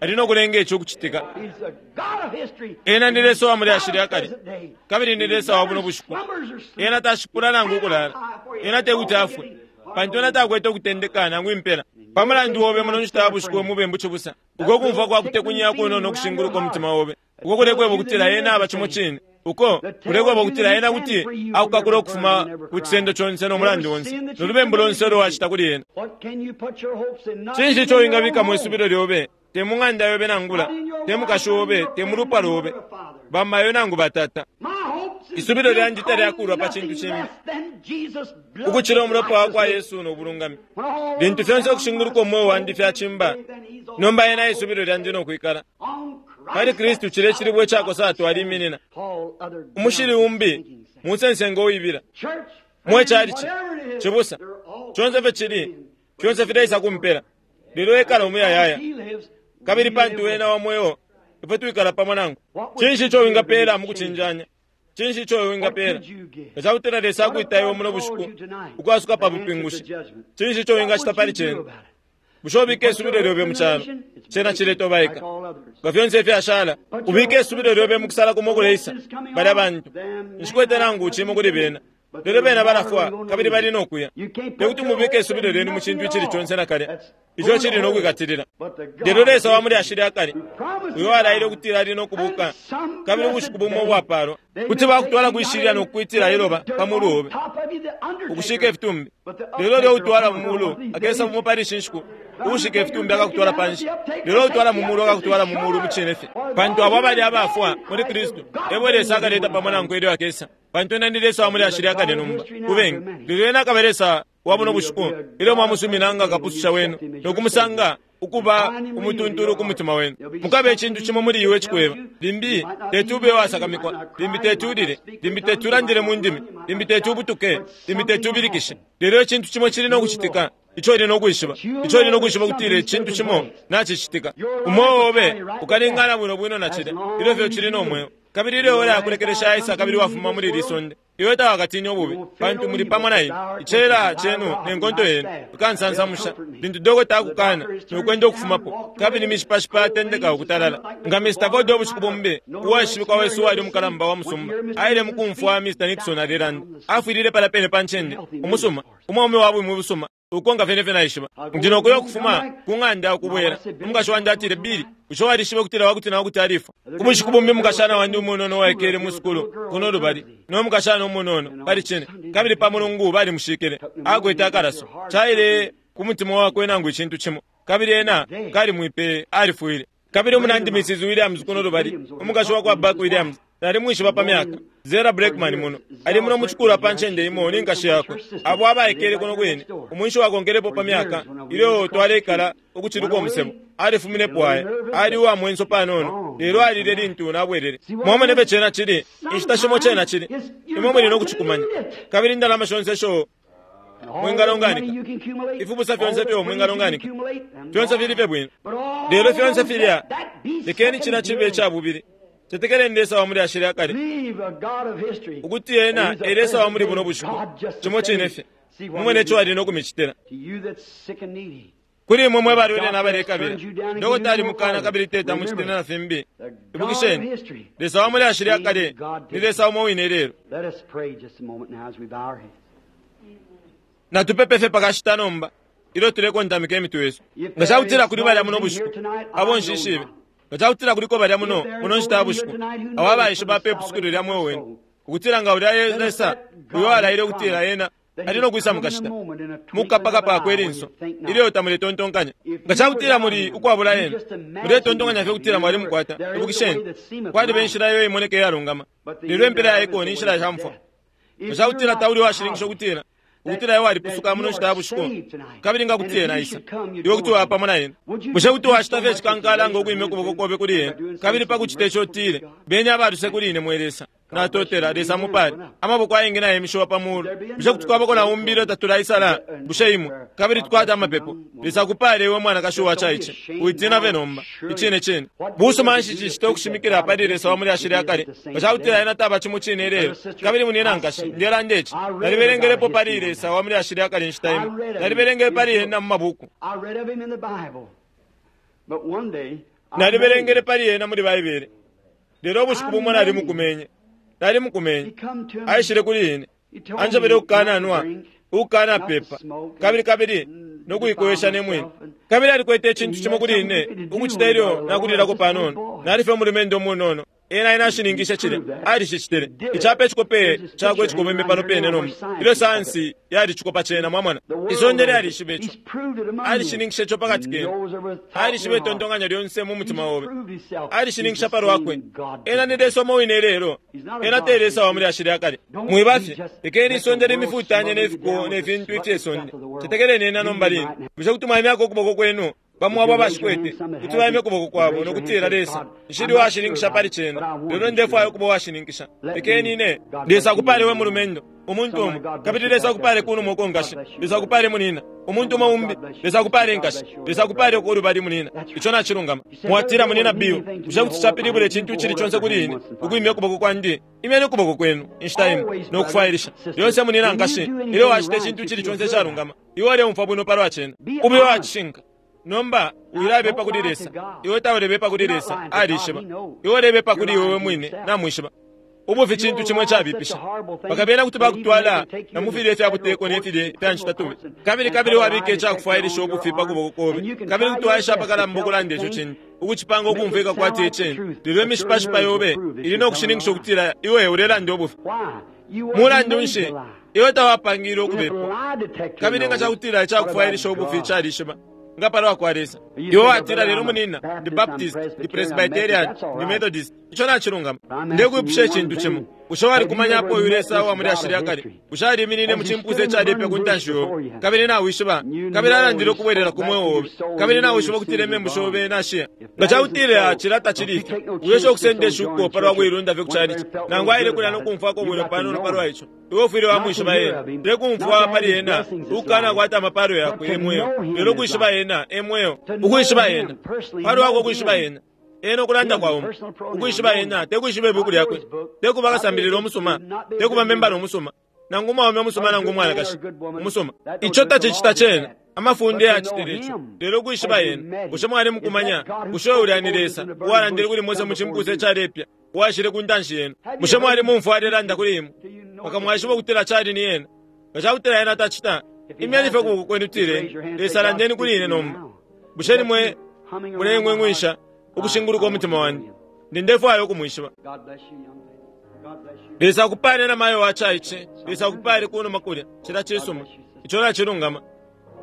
ali no kulenga ici ukucitika. Ena ni Lesa wa mulyashi lyakale, kabili ni Lesa wa buno bushiku. Ena tashipula nangu ukulala, ena tekuti afwe, pantu ena takwete ukutendeka nangu impela. Pa mulandu obe muno nshita ya bushiku mubembu cibusa, uko kumfwa kwa kutekunya kunono kushinguluka umutima obe, uko kulekweba ukutila ena aba cimo cine, uko kulekweba ukutila ena kuti akukakula ukufuma ku cisendo conse no mulandu onse no lubembu lonse ulo wacita kuli ena. Cinshi ico wingabikamo isubilo lyobe? Te mu ng'anda yobe nangula, te mukashi obe, te mu lupwa lobe, bamayo nangu batata. Isubilo lyandi talyakulwa pa cintu cimbi ukucila umulopa wa kwa Yesu no bulungami. Lintu fyonse ukushinguluka umweo wandi fyacimba, nomba ena isubilo lyandi no kwikala pali Kristu. Cile cilibwe icakosa atwaliminina umushili umbi munsensengo uibila mwe calici cibusa conse fye cili fyonse fileisa kumpela, lelo ekala umuyayaya. Kabili pantu wena wa mweo, ifwe twikala pamo nangu. Cinshi ico wingapela mukucinjanya? Cinshi ico wingapela nga cakutila Lesa akwita iwe muno bushiku ukwasuka pa bupingushi? Cinshi ico wingacita pali cena? Bushe ubike isubilo lyobe mu calo, cena ciletobaika nga fyonse ifyashala? Ubike isubilo lyobe mu kusala kumo kuleisa. Balya bantu nshikwete nangu cimo kuli bena, lelo bena balafwa kabili bali no kuya. Tekuti mubike isubilo lyenu mu cintu icili conse nakalya ico cili no kwikatilila. Lelo Lesa wa mulyashi lyakale uyo alaile ukutila ali no kubuka, kabili ubushiku bumo ubwapalwa kuti bakutwala kwishilya no kukwitila iloba pa mulu obe ukushika ifitumbi. Lelo lyo utwala mu mulu akesa bumo pali ishi nshiku uushika ifitumbi akakutwala panshi, lelo utwala mu mulu akakutwala mu mulu mucine fye. Pantu abo abali abafwa muli Kristu ebo Lesa akaleta pamo nankwe ilyo akesa. Pantu ena ni Lesa wa mulyashi lyakale nomba kubengi, lelo ena akaba Lesa wa buno bushiku ilyo mwamusumina nga kapususha wenu no kumusanga ukuba umutuntulu ku mutima wenu. Mukabe icintu cimo muli iwe cikweba, limbi teti ube wasakamikwa, limbi teti ulile, limbi teti ulandile mu ndimi, limbi teti ubutuke, limbi teti ubilikishe, lelo icintu cimo cili no kucitika ico uli no kwishiba, ico uli no kwishiba kutila icintu cimo nacicitika. Umweo obe ukalingana bwino bwino na cilya ilyo fye cili no mweo. Kabili ilyo ora yakulekelesha aisa kabili wafuma muli ili sonde, iwe tawakatine ububi, pantu muli pamo na ine. Icela cenu ne nkonto yenu ikansansamusha lintu dokota akukana nokwenda ukufumapo, kabili mishipashipa yatendeka ukutalala. Nga Mr. Ford ubushiku bumbi, uwaishibikwa wesu uwali umukalamba wa musumba, aile mukumfwa Mr. Nixon alelanda, afwilile pala pene pa ncende umusuma, umwaume wa bumi busuma. Ukonka fye nefyo naishiba. Ndi no kuya ukufuma ku ng'anda ukubwela. Umukashi wandi atile, Billy, bushe walishiba ukutila wakuti na wakuti alifwa? Ubushiku bumbi umukashana wandi umunono uwaikele mu sukulu kuno lubali, no mukashana umunono pali cine, kabili pa Mulungu balimushikile, akwete akalaso. Caile ku mutima wakwe nangu icintu cimo, kabili ena kalimwipeye, alifwile. Kabili umunandi Mrs. Williams kuno lubali, umukashi wakwa Buck Williams, nalimwishiba pa myaka. Zera Blackman muno, ali muno mucikulwa pa ncende imo ni nkashi yakwe, abo abaikele kuno kwine, umwinshi wakonkelepo pa myaka, ilyo twaleikala ukuciluka umusebo. Alifuminepo aya, ali uwa mwenso panono, lelo alile lintu nabwelele. Mwamona ifyo cena cili, inshita shimo cena cili, imwe muli no kucikumanya. Kabili indalama shonse isho mwingalonganika, ifibusa fyonse ifyo mwingalonganika, fyonse fili fye bwino. Lelo fyonse filya, lekeni cina cibe ica bubili. Cetekeleni Lesa wa muli ashili akale, ukuti ena e Lesa wa muli buno bushiku, cimo cine fye. Mumone ico ali no kumicitila. Kuli imwe mwe balwele na balekabila, dokota alimukana kabili teti amucitile na fimbi. Ibukisheni, Lesa wa muli ashili akale ni Lesa umo wine lelo. Natupepe fye pakashita nomba, ilyo tulekontamika imitwe yesu. Nga cakutila kuli balya muno bushiku, abo nshishibe, nga cakutila kuliko balya muno muno nshita ya bushiku, abo abaishiba pe pusukilo lya mweo wenu, ukutila nga ulya Lesa uyo alaile ukutila ena ali no kwisa mukashita mukapakapa akwe linso ilyo tamuletontonkanya. Nga cakutila muli ukwabula ena, muletontonkanya fye ukutila mwali mukwata. Ibukisheni, kwaliba inshila iyo imoneka iyalungama, lelo impela yaiko ni nshila sha mfwa. Nga cakutila tauli washininkisha ukutila ukutila iwe walipusuka muno nshita ya bushiku, kabili nga kuti ena aisa, iwe kuti waba pamo na ena. Bushe kuti wacita fye icikankala ngo kwimya ukuboko kobe kuli ena, kabili pa kucita ico utile, Beni abaluse kuli ine, mwe Lesa. Natotela, Lesa amupale. Amaboko ayengi nayemishiwa pa mulu. Bushe kuti kwabako na umbi ilyo tatulaisala? Bushe imwe? Kabili tukwate amapepo. Lesa akupale iwe mwanakashi uwacaice. Witina fye nomba. Icine cine. Busuma nshi cicita ukushimikila pali Lesa wa muli ashili akale, nga cakutila ena taba cimo cine ilelo? Kabili munina nkashi, ndelanda ici. Nalibelengelepo pali Lesa wa muli ashili akale inshita imo. Nalibelengele pali ena mu mabuku. Nalibelengele pali ena muli Baibele. Lelo ubushiku bumo nalimukumenye. Nalimukumenye. Aishile kuli ine. Anjebele ukukananwa, ukukanapepa, kabili kabili no kuikowesha ne mwine. Kabili alikwete icintu cimo kuli ine ukucita ilyo nakulilako panono. Nali fye umulumendo umunono. Ena ena ashininkishe cilya. Alicicitile. Icapa icikope cakwe icikobeme pano pene nomba. Ilyo sayansi yalicikopa cena, mwamona. Isonde lyalishiba ico. Alishininkishe ico pakati kenu. Alishiba itontonkanyo lyonse mu mutima obe. Alishininkisha pa lwakwe. Ena ni Lesa umo wine ilelo. Ena te Lesa wa mulyashi lya kale. Mwiba fye. Lekeni isonde limifutanye ne fiko ne fintu ifye sonde. Cetekeleni ena nomba line. Bushe kuti mwaimyako ukuboko kwenu? Bamo abo abashikwete kuti baimya ukuboko kwabo no kutila, Lesa, nshili uwashininkisha pali cena, lelo ndefwaya ukuba uwashininkisha. Lekeni ine. Lesa akupale we mulumendo, umuntu umo. Kabili Lesa akupale kunuma uko nkashi. Lesa akupale munina, umuntu umo umbi. Lesa akupale nkashi. Lesa akupale uko ulubali munina. Ico nacilungama. Mwatila, Munina Bill, bushe kuti capilibula icintu icili conse kuli ine ukwimya ukuboko kwandi? Imyeni ukuboko kwenu inshita imo no kufwailisha. Lyonse munina nkashi, ilyo wacita icintu icili conse icalungama, iwe uleumfwa bwino palwa cena. Ube uwacishinka. Nomba wilabepa kuli Lesa. Iwe taulebepa kuli Lesa, alishiba. Iwe ulebepa kuli iwe we mwine, namwishiba. Ubufi cintu cimo icabipisha. Bakabena kuti bakutwala na mu filye fya buteko ne filye fya ncitatubi. Kabili kabili wabika icakufwailisha ubufi pa kuboko kobe. Kabili kuti waesha apakalamba ukulanda ico cintu, ukucipanga ukumfwika kwati e cine. Lelo imishipashipa yobe ili no kushininkisha ukutila iwe ulelanda ubufi. Mulandu nshi, iwe tawapangilwe ukubepwa. Kabili nga cakutila icakufwailisha ubufi calishiba, nga palwa kwa Lesa. Iwe watila, Lelo munina, ndi Baptist, ndi Presbyterian, ndi Methodist. Ico nacilungama. Ndekwipusha icintu cimo. Bushe walikumanyapo uyu Lesa uwa mulyashi lya kale? Bushe aliminine mu cimpusa icalepe ku ntanshi yobe, kabili nawishiba, kabili alandile ukubwelela ku mweo obe, kabili nawishiba ukutila imembu shobe nashiya? Nga cakutila cilya tacili ifyo, wiesha ukusenda ishuko palwa kuilunda fye ku chalichi, nangu aile kulya no kumfwako bwino panono palwa ico. Iwe ufwile wamwishiba ena. Te kumfwa pali ena, ukukana kwata amapalo yakwe e mweo, lelo ukwishiba ena e mweo. Ukwishiba ena, palwakwe ukwishiba ena. Ena ukulanda kwa umo. Ukwishiba ena, te kwishiba ibuku lyakwe, te kuba kasambilila umusuma, te kuba membala umusuma, nangu umwaume umusuma nangu umwanakashi umusuma. Ico tacicita cena. Amafunde yacitile ico. Lelo ukwishiba ena, bushe mwali mukumanya? Bushe ulya ni Lesa uwalandile kuli Mose mu cimpusa icalepya, uwaishile ku ntanshi yenu? Bushe mwali mumfwa alelanda kuli imwe, mpaka mwaishiba ukutila cali ni ena? Nga cakutila ena tacita, Imyeni fye ukuboko kwenu tileni, Lesa landeni kuli ine nomba. Bushe ni mwe mulengwengwisha ukushinguluka umutima wandi? Ndi ndefwaya ukumwishiba. Lesa akupale na mayo wa caice. Lesa akupale kunuma kulya. Cilya cisuma. Ico nacilungama.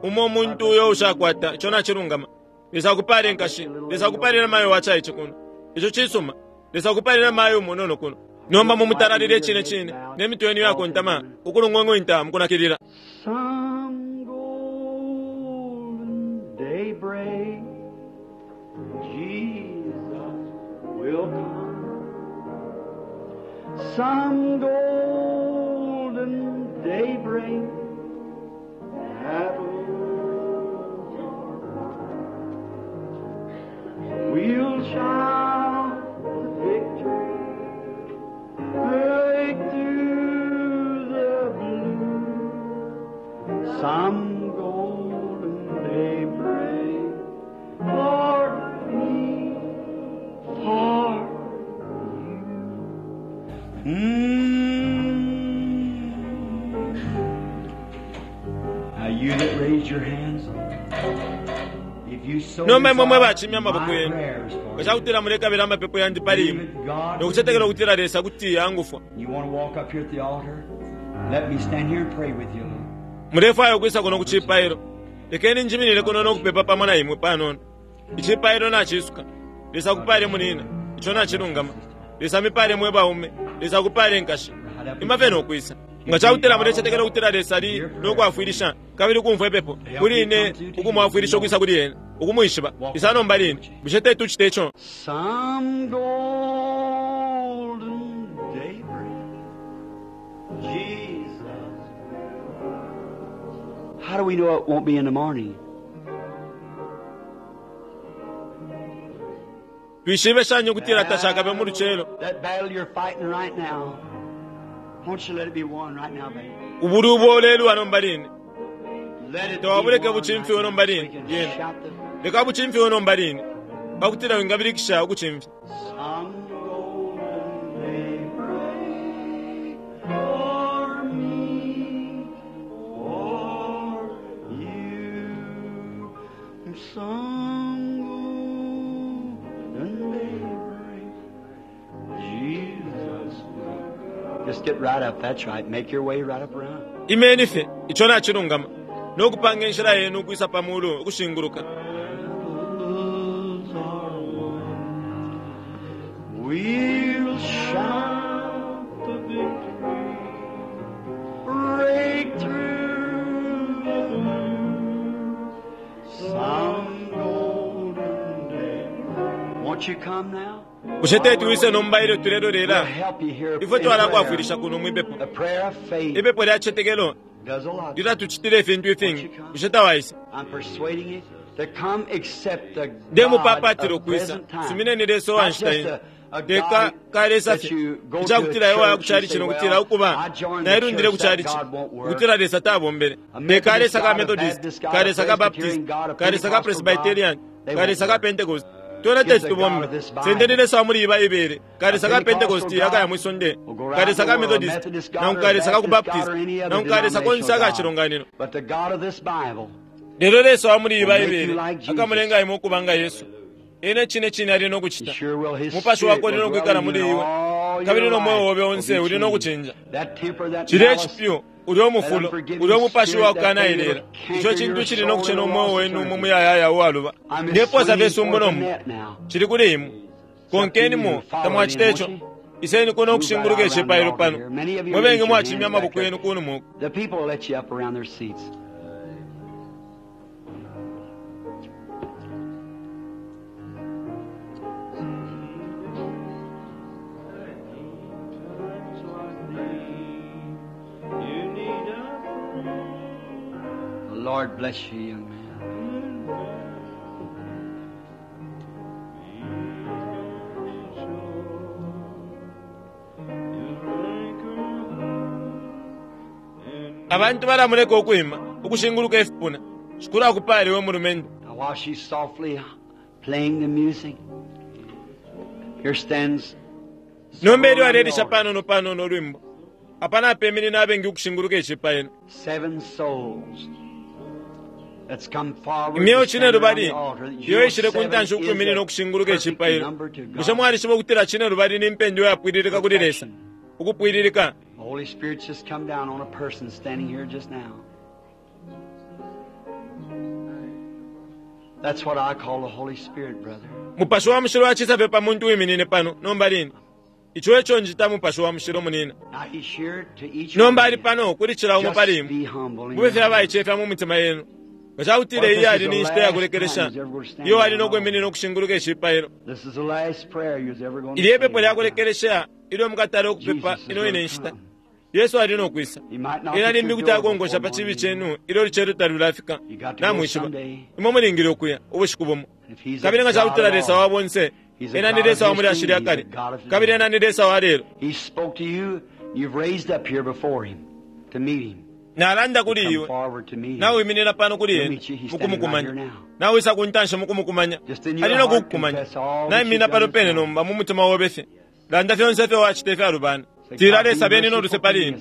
Umo umuntu uyo ushakwata, ico nacilungama. Lesa akupale nkashi. Lesa akupale na mayo wa caice kuno. Ico cisuma. Lesa akupale na mayo umunono kuno. Nomba mumutalalile icine cine, ne mitwe yenu iyakontama, ukulungwengwinta mukunakilila. Some golden day break, Jesus will come. Some golden day break, we'll shout the victory, break through the blue. Some golden day break for me, for you. Mm. Now you that raised your hands, if you so Nomba imwe mwe desire, bacimya amaboko my yenu. prayers for Nga cakutila mulekabila amapepo yandi pali imwe, you. no kucetekela ukutila Lesa kuti angufwa. You want to walk up here at the altar? Let me stand here and pray with you a little. Mulefwaya ukwisa kuno ku cipailo. Lekeni njiminine kuno no kupepa pamo na imwe panono. Icipailo nacisuka. Lesa akupale munina. Ico nacilungama. Lesa amipale mwe baume. Lesa akupale nkashi. Ima fye no kwisa. Nga cakutila mulecetekela ukutila Lesa ali no kwafwilisha kabili ukumfwa ipepo kuli ine ukumwafwilisha ukwisa kuli ena ukumwishiba. Isa nomba line. Bushe teti tucite ico? Some golden daybreak, Jesus. How do we know it won't be in the morning? Twishibe shani ukutila tashakabe mu lucelo. That battle you're fighting right now, won't you let it be won right now, baby? Ubulwi ubo ulelwa nomba line. Let it be Tawabuleke won buchimfiwe right now. nomba We line. can Yena. shout the Leka buchimfiwe nomba line. Pakutila wingabilikisha ukuchimfya. Some golden day break for me, for you. Some golden day break, Jesus will. Just get right up. That's right. Make your way right up around. Imeni fye ico nacilungama no kupanga inshila yenu ukwisa pa mulu ukushinguluka. Battles are won. We'll shout the victory, break through the blue. Some golden day. Won't you come now? Bushe teti wise nomba ilyo tulelolela We'll help you here. ifwe in twalakwafwilisha prayer. kuno mwipepo. The prayer of faith Ipepo lya citetekelo does a lot. lilatucitila ifintu ifingi. Bushe tawaisa? I'm persuading you to come accept the God Ndemupapatila of ukwisa. present time. Sumineni Lesa uwa Not nshita just ino. a Leka God kalesa that fye. you go to a Icakutila iwe waya ku church and chalichi say, nokutila well, ukuba I joined the nailundile ku church, that chalichi. God won't work. Ukutila Lesa tabombele. A Leka Methodist Lesa ka God, a Methodist, Baptist God, ka a Lesa ka Presbyterian Baptist, God, a ka Lesa ka Pentecostal Presbyterian, God, they ka won't Lesa ka work. Pentecost. Twena Give teti the God tubombe. of this Bible. Sendeni Lesa wa muli iba ibere. Ka A Lesa ka Pentecostal Pentecost akaya God mwi sonde. will go Ka round Lesa the ka world, a Methodist, Methodist God nangu or ka a Lesa ka ku Baptist God Baptist, or any other nangu ka Lesa konse denominational aka God. chilonganino. But the God of this Bible Lelo Lesa wa muli will iba make you ibere like Jesus. akamulenga imwe ukuba nga Yesu. Ene cine cine ali no He kucita. sure will. His Mupashi spirit wakwe uli will no dwell kwikala in muli you and iwe. all Kabili your no mweo life obe will onse be uli no changed. kuchinja. That temper, that Cilya malice, icipyu, ulya that umufulo, unforgiving ulya umupashi spirit, wa that thing kukanaelela. that'll Ico canker cintu your cili no soul kucena in a umweo lost wenu mu eternity. muyayaya uwaluba. I'm just Ndeposa swinging fye sumbu forth the nomba. net now. Cili kuli imwe. It's up to you Konkenimo, to follow it in, tamwacita won't ico. you? Iseni kuno Move right ukushinguluka out around the icipailo altar pano. here. Many of you Mwe raise bengi your mwacimya hands back amaboko there. yenu kunuma uku. The people will let you up around their seats. The Lord bless you, young man. Abantu balamuleka ukwima, ukushinguluka ifipuna. Shikulu akupale we mulumendo. Now, while she's softly playing the music, here stands Nomba several ilyo on the alelisha altar. panono panono ulwimbo. Apa napeminina abengi ukushinguluka icipailo. Imyeo cinelubali iyo ishile ku ntanshi ukwiminina ukushinguluka icipailo. Bushe mwalishiba ukutila cinelubali ni mpendwa iyapwililika kuli Lesa? Ukupwililika. Mupashi wa Mushilo acisa fye pa muntu uwiminine pano nomba line. Ico eco njita Mupashi wa Mushilo, munina. Nomba ali pano kuli cila umo pali imwe. Mube fye abaicefya mu mitima yenu. Nga ca kutila iyi yali ni nshita ya kulekelesha iyo ali no kwiminina ukushinguluka icipailo, ili e pepo lya kulekelesha ilyo mukatala ukupepa ino ine nshita. Yesu ali no kwisa. Ena limbi kuti akonkosha pa cibi cenu ilyo ulucelo talulafika. Namwishiba, imwe mulingile ukuya ubushiku bumo. Kabili nga ca kutila Lesa wa bonse, Ena ni Lesa wa mu lyashi lya kale, kabili Ena ni Lesa wa lelo. Nalanda kuli iwe, nawiminina pano kuli ena mukumukumanya, nawisa ku ntanshi mukumukumanya, ali no kukukumanya. Naiminina pano pene nomba mu mutima obe fye. Landa fyonse ifyo wacita ifyalubana. Tila, Lesa, beni no luse pali ine,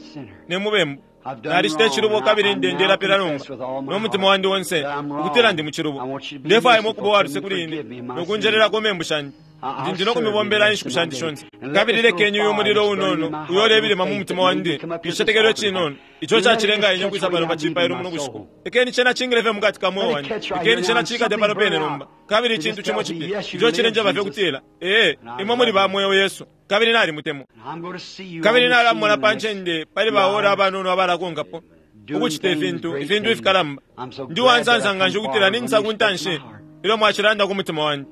ne mubembu. Nalicita icilubo kabili ndelapila nomba no mutima wandi onse ukutila ndi mu cilubo. Ndefwaya imwe ukuba uwa luse kuli ine no kunjelelako membu shandi. Ndi ndi no kumibombela inshiku shandi shonse. Kabili lekeni uyu mulilo unono uyo ulebilima mu mutima wandi, icicetekelo icinono ico cacilenga ine ukwisa pano pa cipailo muno bushiku. Lekeni cena cingile fye mukati ka mweo wandi. Lekeni cena ciikate pano pene nomba. Kabili icintu cimo cipya ico cilenjeba fye ukutila, Ee, imwe muli ba mweo, Yesu. Kabili nalimutemwa. Kabili nalamona pa ncende pali ba ora abanono abalakonkapo, ukucita ifintu, ifintu ifikalamba. Ndi uwansansa nganshi ukutila ninjisa ku ntanshi ilyo mwacilanda ku mutima wandi.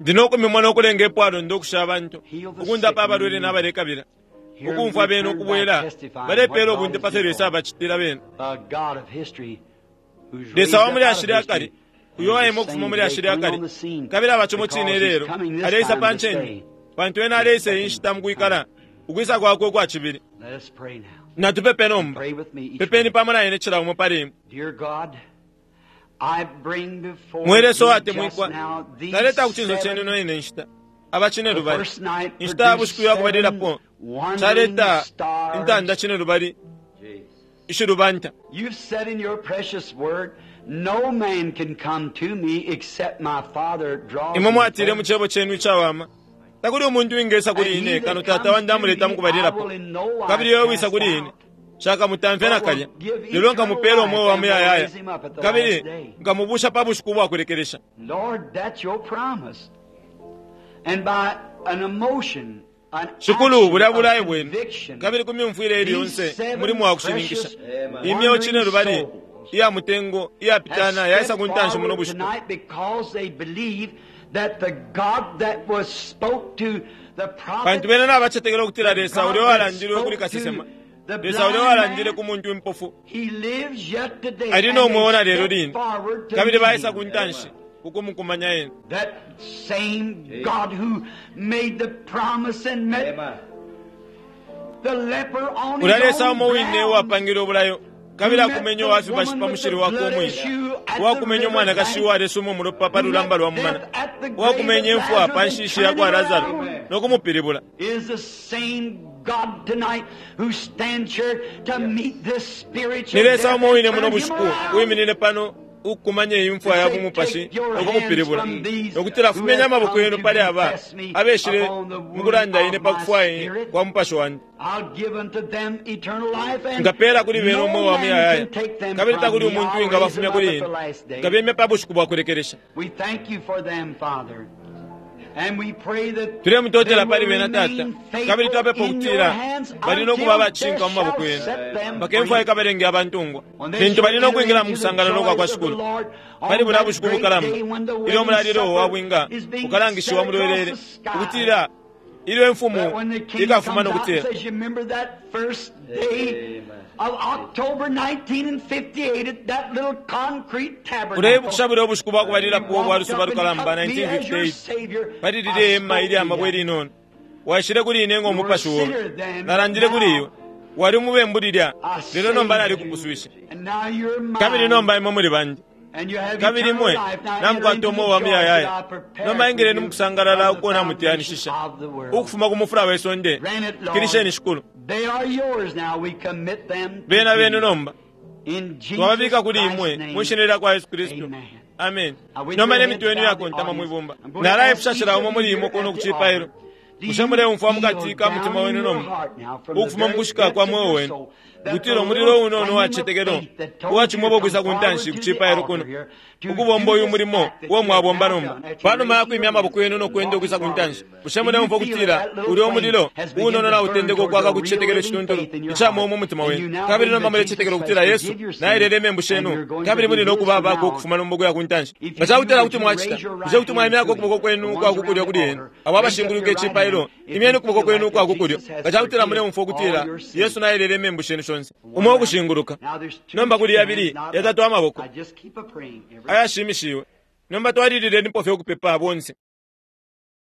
Ndi no kumimona ukulenga ipwalonda ukusha abantu, ukundapa abalwele na balekabila, ukumfwa bena ukubwela balepeela ubunte pa fyo Lesa abacitila bena. Lesa wa mu lyashi lya kale, uyo waima ukufuma mu lyashi lya kale, kabili aba cimo cine ilelo, aleisa pa ncende, pantu Ena aleisa iyi nshita mukwikala, ukwisa Kwakwe ukwa cibili. Natupepe nomba. Pepeni pamo na ine cila umo pali imwe. Mwe Lesa uwatemwikwa, naleta ku cinso cenu ino ine nshita aba cinelubali. Inshita ya bushiku ya kubalilapo caleta intanda cinelubali ishilubanta. Imwe mwatile mu Cebo Cenu icawama, Takuli umuntu uwingesa kuli Ine kano Tata Wandi amuleta mukubalilapo, kabili uyo uwisa kuli Ine, Nshakamutamfye nakalya, lelo nkamupela umweo wa muyayaya, kabili nkamubusha pa bushiku ubwa kulekelesha. Shikulu, bulya bulayo Bwenu, kabili ku myumfwile ili yonse umulimo wa kushininkisha. Imyeo cinelubali iya mutengo iyapitana yaisa ku ntanshi muno bushiku. Pantu bena nabacetekela ukutila Lesa ulya uwalandilwe kuli kasesema, Lesa ulya uwalandile ku muntu impofu, ali no mweo na lelo line, kabili baisa ku ntanshi ku kumukumanya Ena. Ulya Lesa umo wine uwapangile ubulayo kabili akumenye uwa fibashi pa mushili wakwe umwine, uwakumenye umwanakashi uwalesuma umulopa pa lulamba lwa mumana, uwakumenye imfwa pa nshishi ya kwa Lasaro no kumupilibula. Ni Lesa umo wine muno bushiku uwiminine pano ukukumanya iyi mfwa ya bumupashi no kumupilibula, no kutila, Fumyeni amaboko yenu pali aba abeshile mu kulanda ine pa kufwaya kwa mupashi wandi. Nkapeela kuli bena umweo wa muyayaya, kabili takuli umuntu uwingabafumya kuli ine. Nkabemya pa bushiku bwa kulekelesha. Tulemutotela pali bena, Tata, kabili twapepa ukutila bali no kuba abacishinka mu maboko yenu mpaka imfwa ikabalenge abantungwa, lintu bali no kwingila mu kusangalala ukwa kwa Shikulu pali bulya bushiku bukalamba ilyo umulalilo wa bwinga ukalangishiwa mu lwelele, ukutila ilyo Imfumu ikafuma no kutila, Uleibukisha bulya ubushiku bwa kubalilapo ubwa lusuba lukalamba 1958, pali lilye hema ilya mabwe ilinono, waishile kuli ine ngo mupashi obe. Nalandile kuli iwe, wali umubembu lilya, lelo nomba nalikupuswishe. Kabili nomba imwe muli bandi. Kabili imwe namukwata umweo wa muyayaya. Nomba ingileni mukusangalala uko namutiyanishisha ukufuma ku mufula we sonde. Fikilisheni, Shikulu. Bena benu nomba. Twababika kuli imwe mwi Shina lyakwa Yesu Kristu. Amen. Nomba ne mitwe yenu iyakontama mwi bumba. Nalaipusha cila umo muli imwe kuno ku cipailo. Bushe muleumfwa mukati ka mutima wenu nomba, ukufuma mukushika kwa mweo wenu, ukutila umulilo unono uwa cicetekelo uwacimwebo ukwisa ku ntanshi ku cipailo kuno, ukubomba uyu mulimo uo mwabomba nomba, panuma ya kwimya amaboko yenu no kwenda ukwisa ku ntanshi, bushe muleumfwa ukutila ulya umulilo unono nautendeka ukwaka ku cicetekelo icituntulu ica mweo mu mutima wenu, kabili nomba mulecetekela ukutila Yesu naelele imembu shenu, kabili muli no kuba abakwe ukufuma nomba ukuya ku ntanshi? Nga ca kutila kuti mwacita, bushe kuti mwaimyako ukuboko kwenu ukwa ku kulyo kuli ena, abo abashinguluka icipailo? Imyeni ukuboko kwenu ukwa ku kulyo nga ca kutila muleumfwa ukutila Yesu naelele imembu shenu shonse. Umo ukushinguluka. Nomba kuli yabili, yatatu amaboko ayashimishiwe. Nomba twalililenipo fye ukupepa bonse.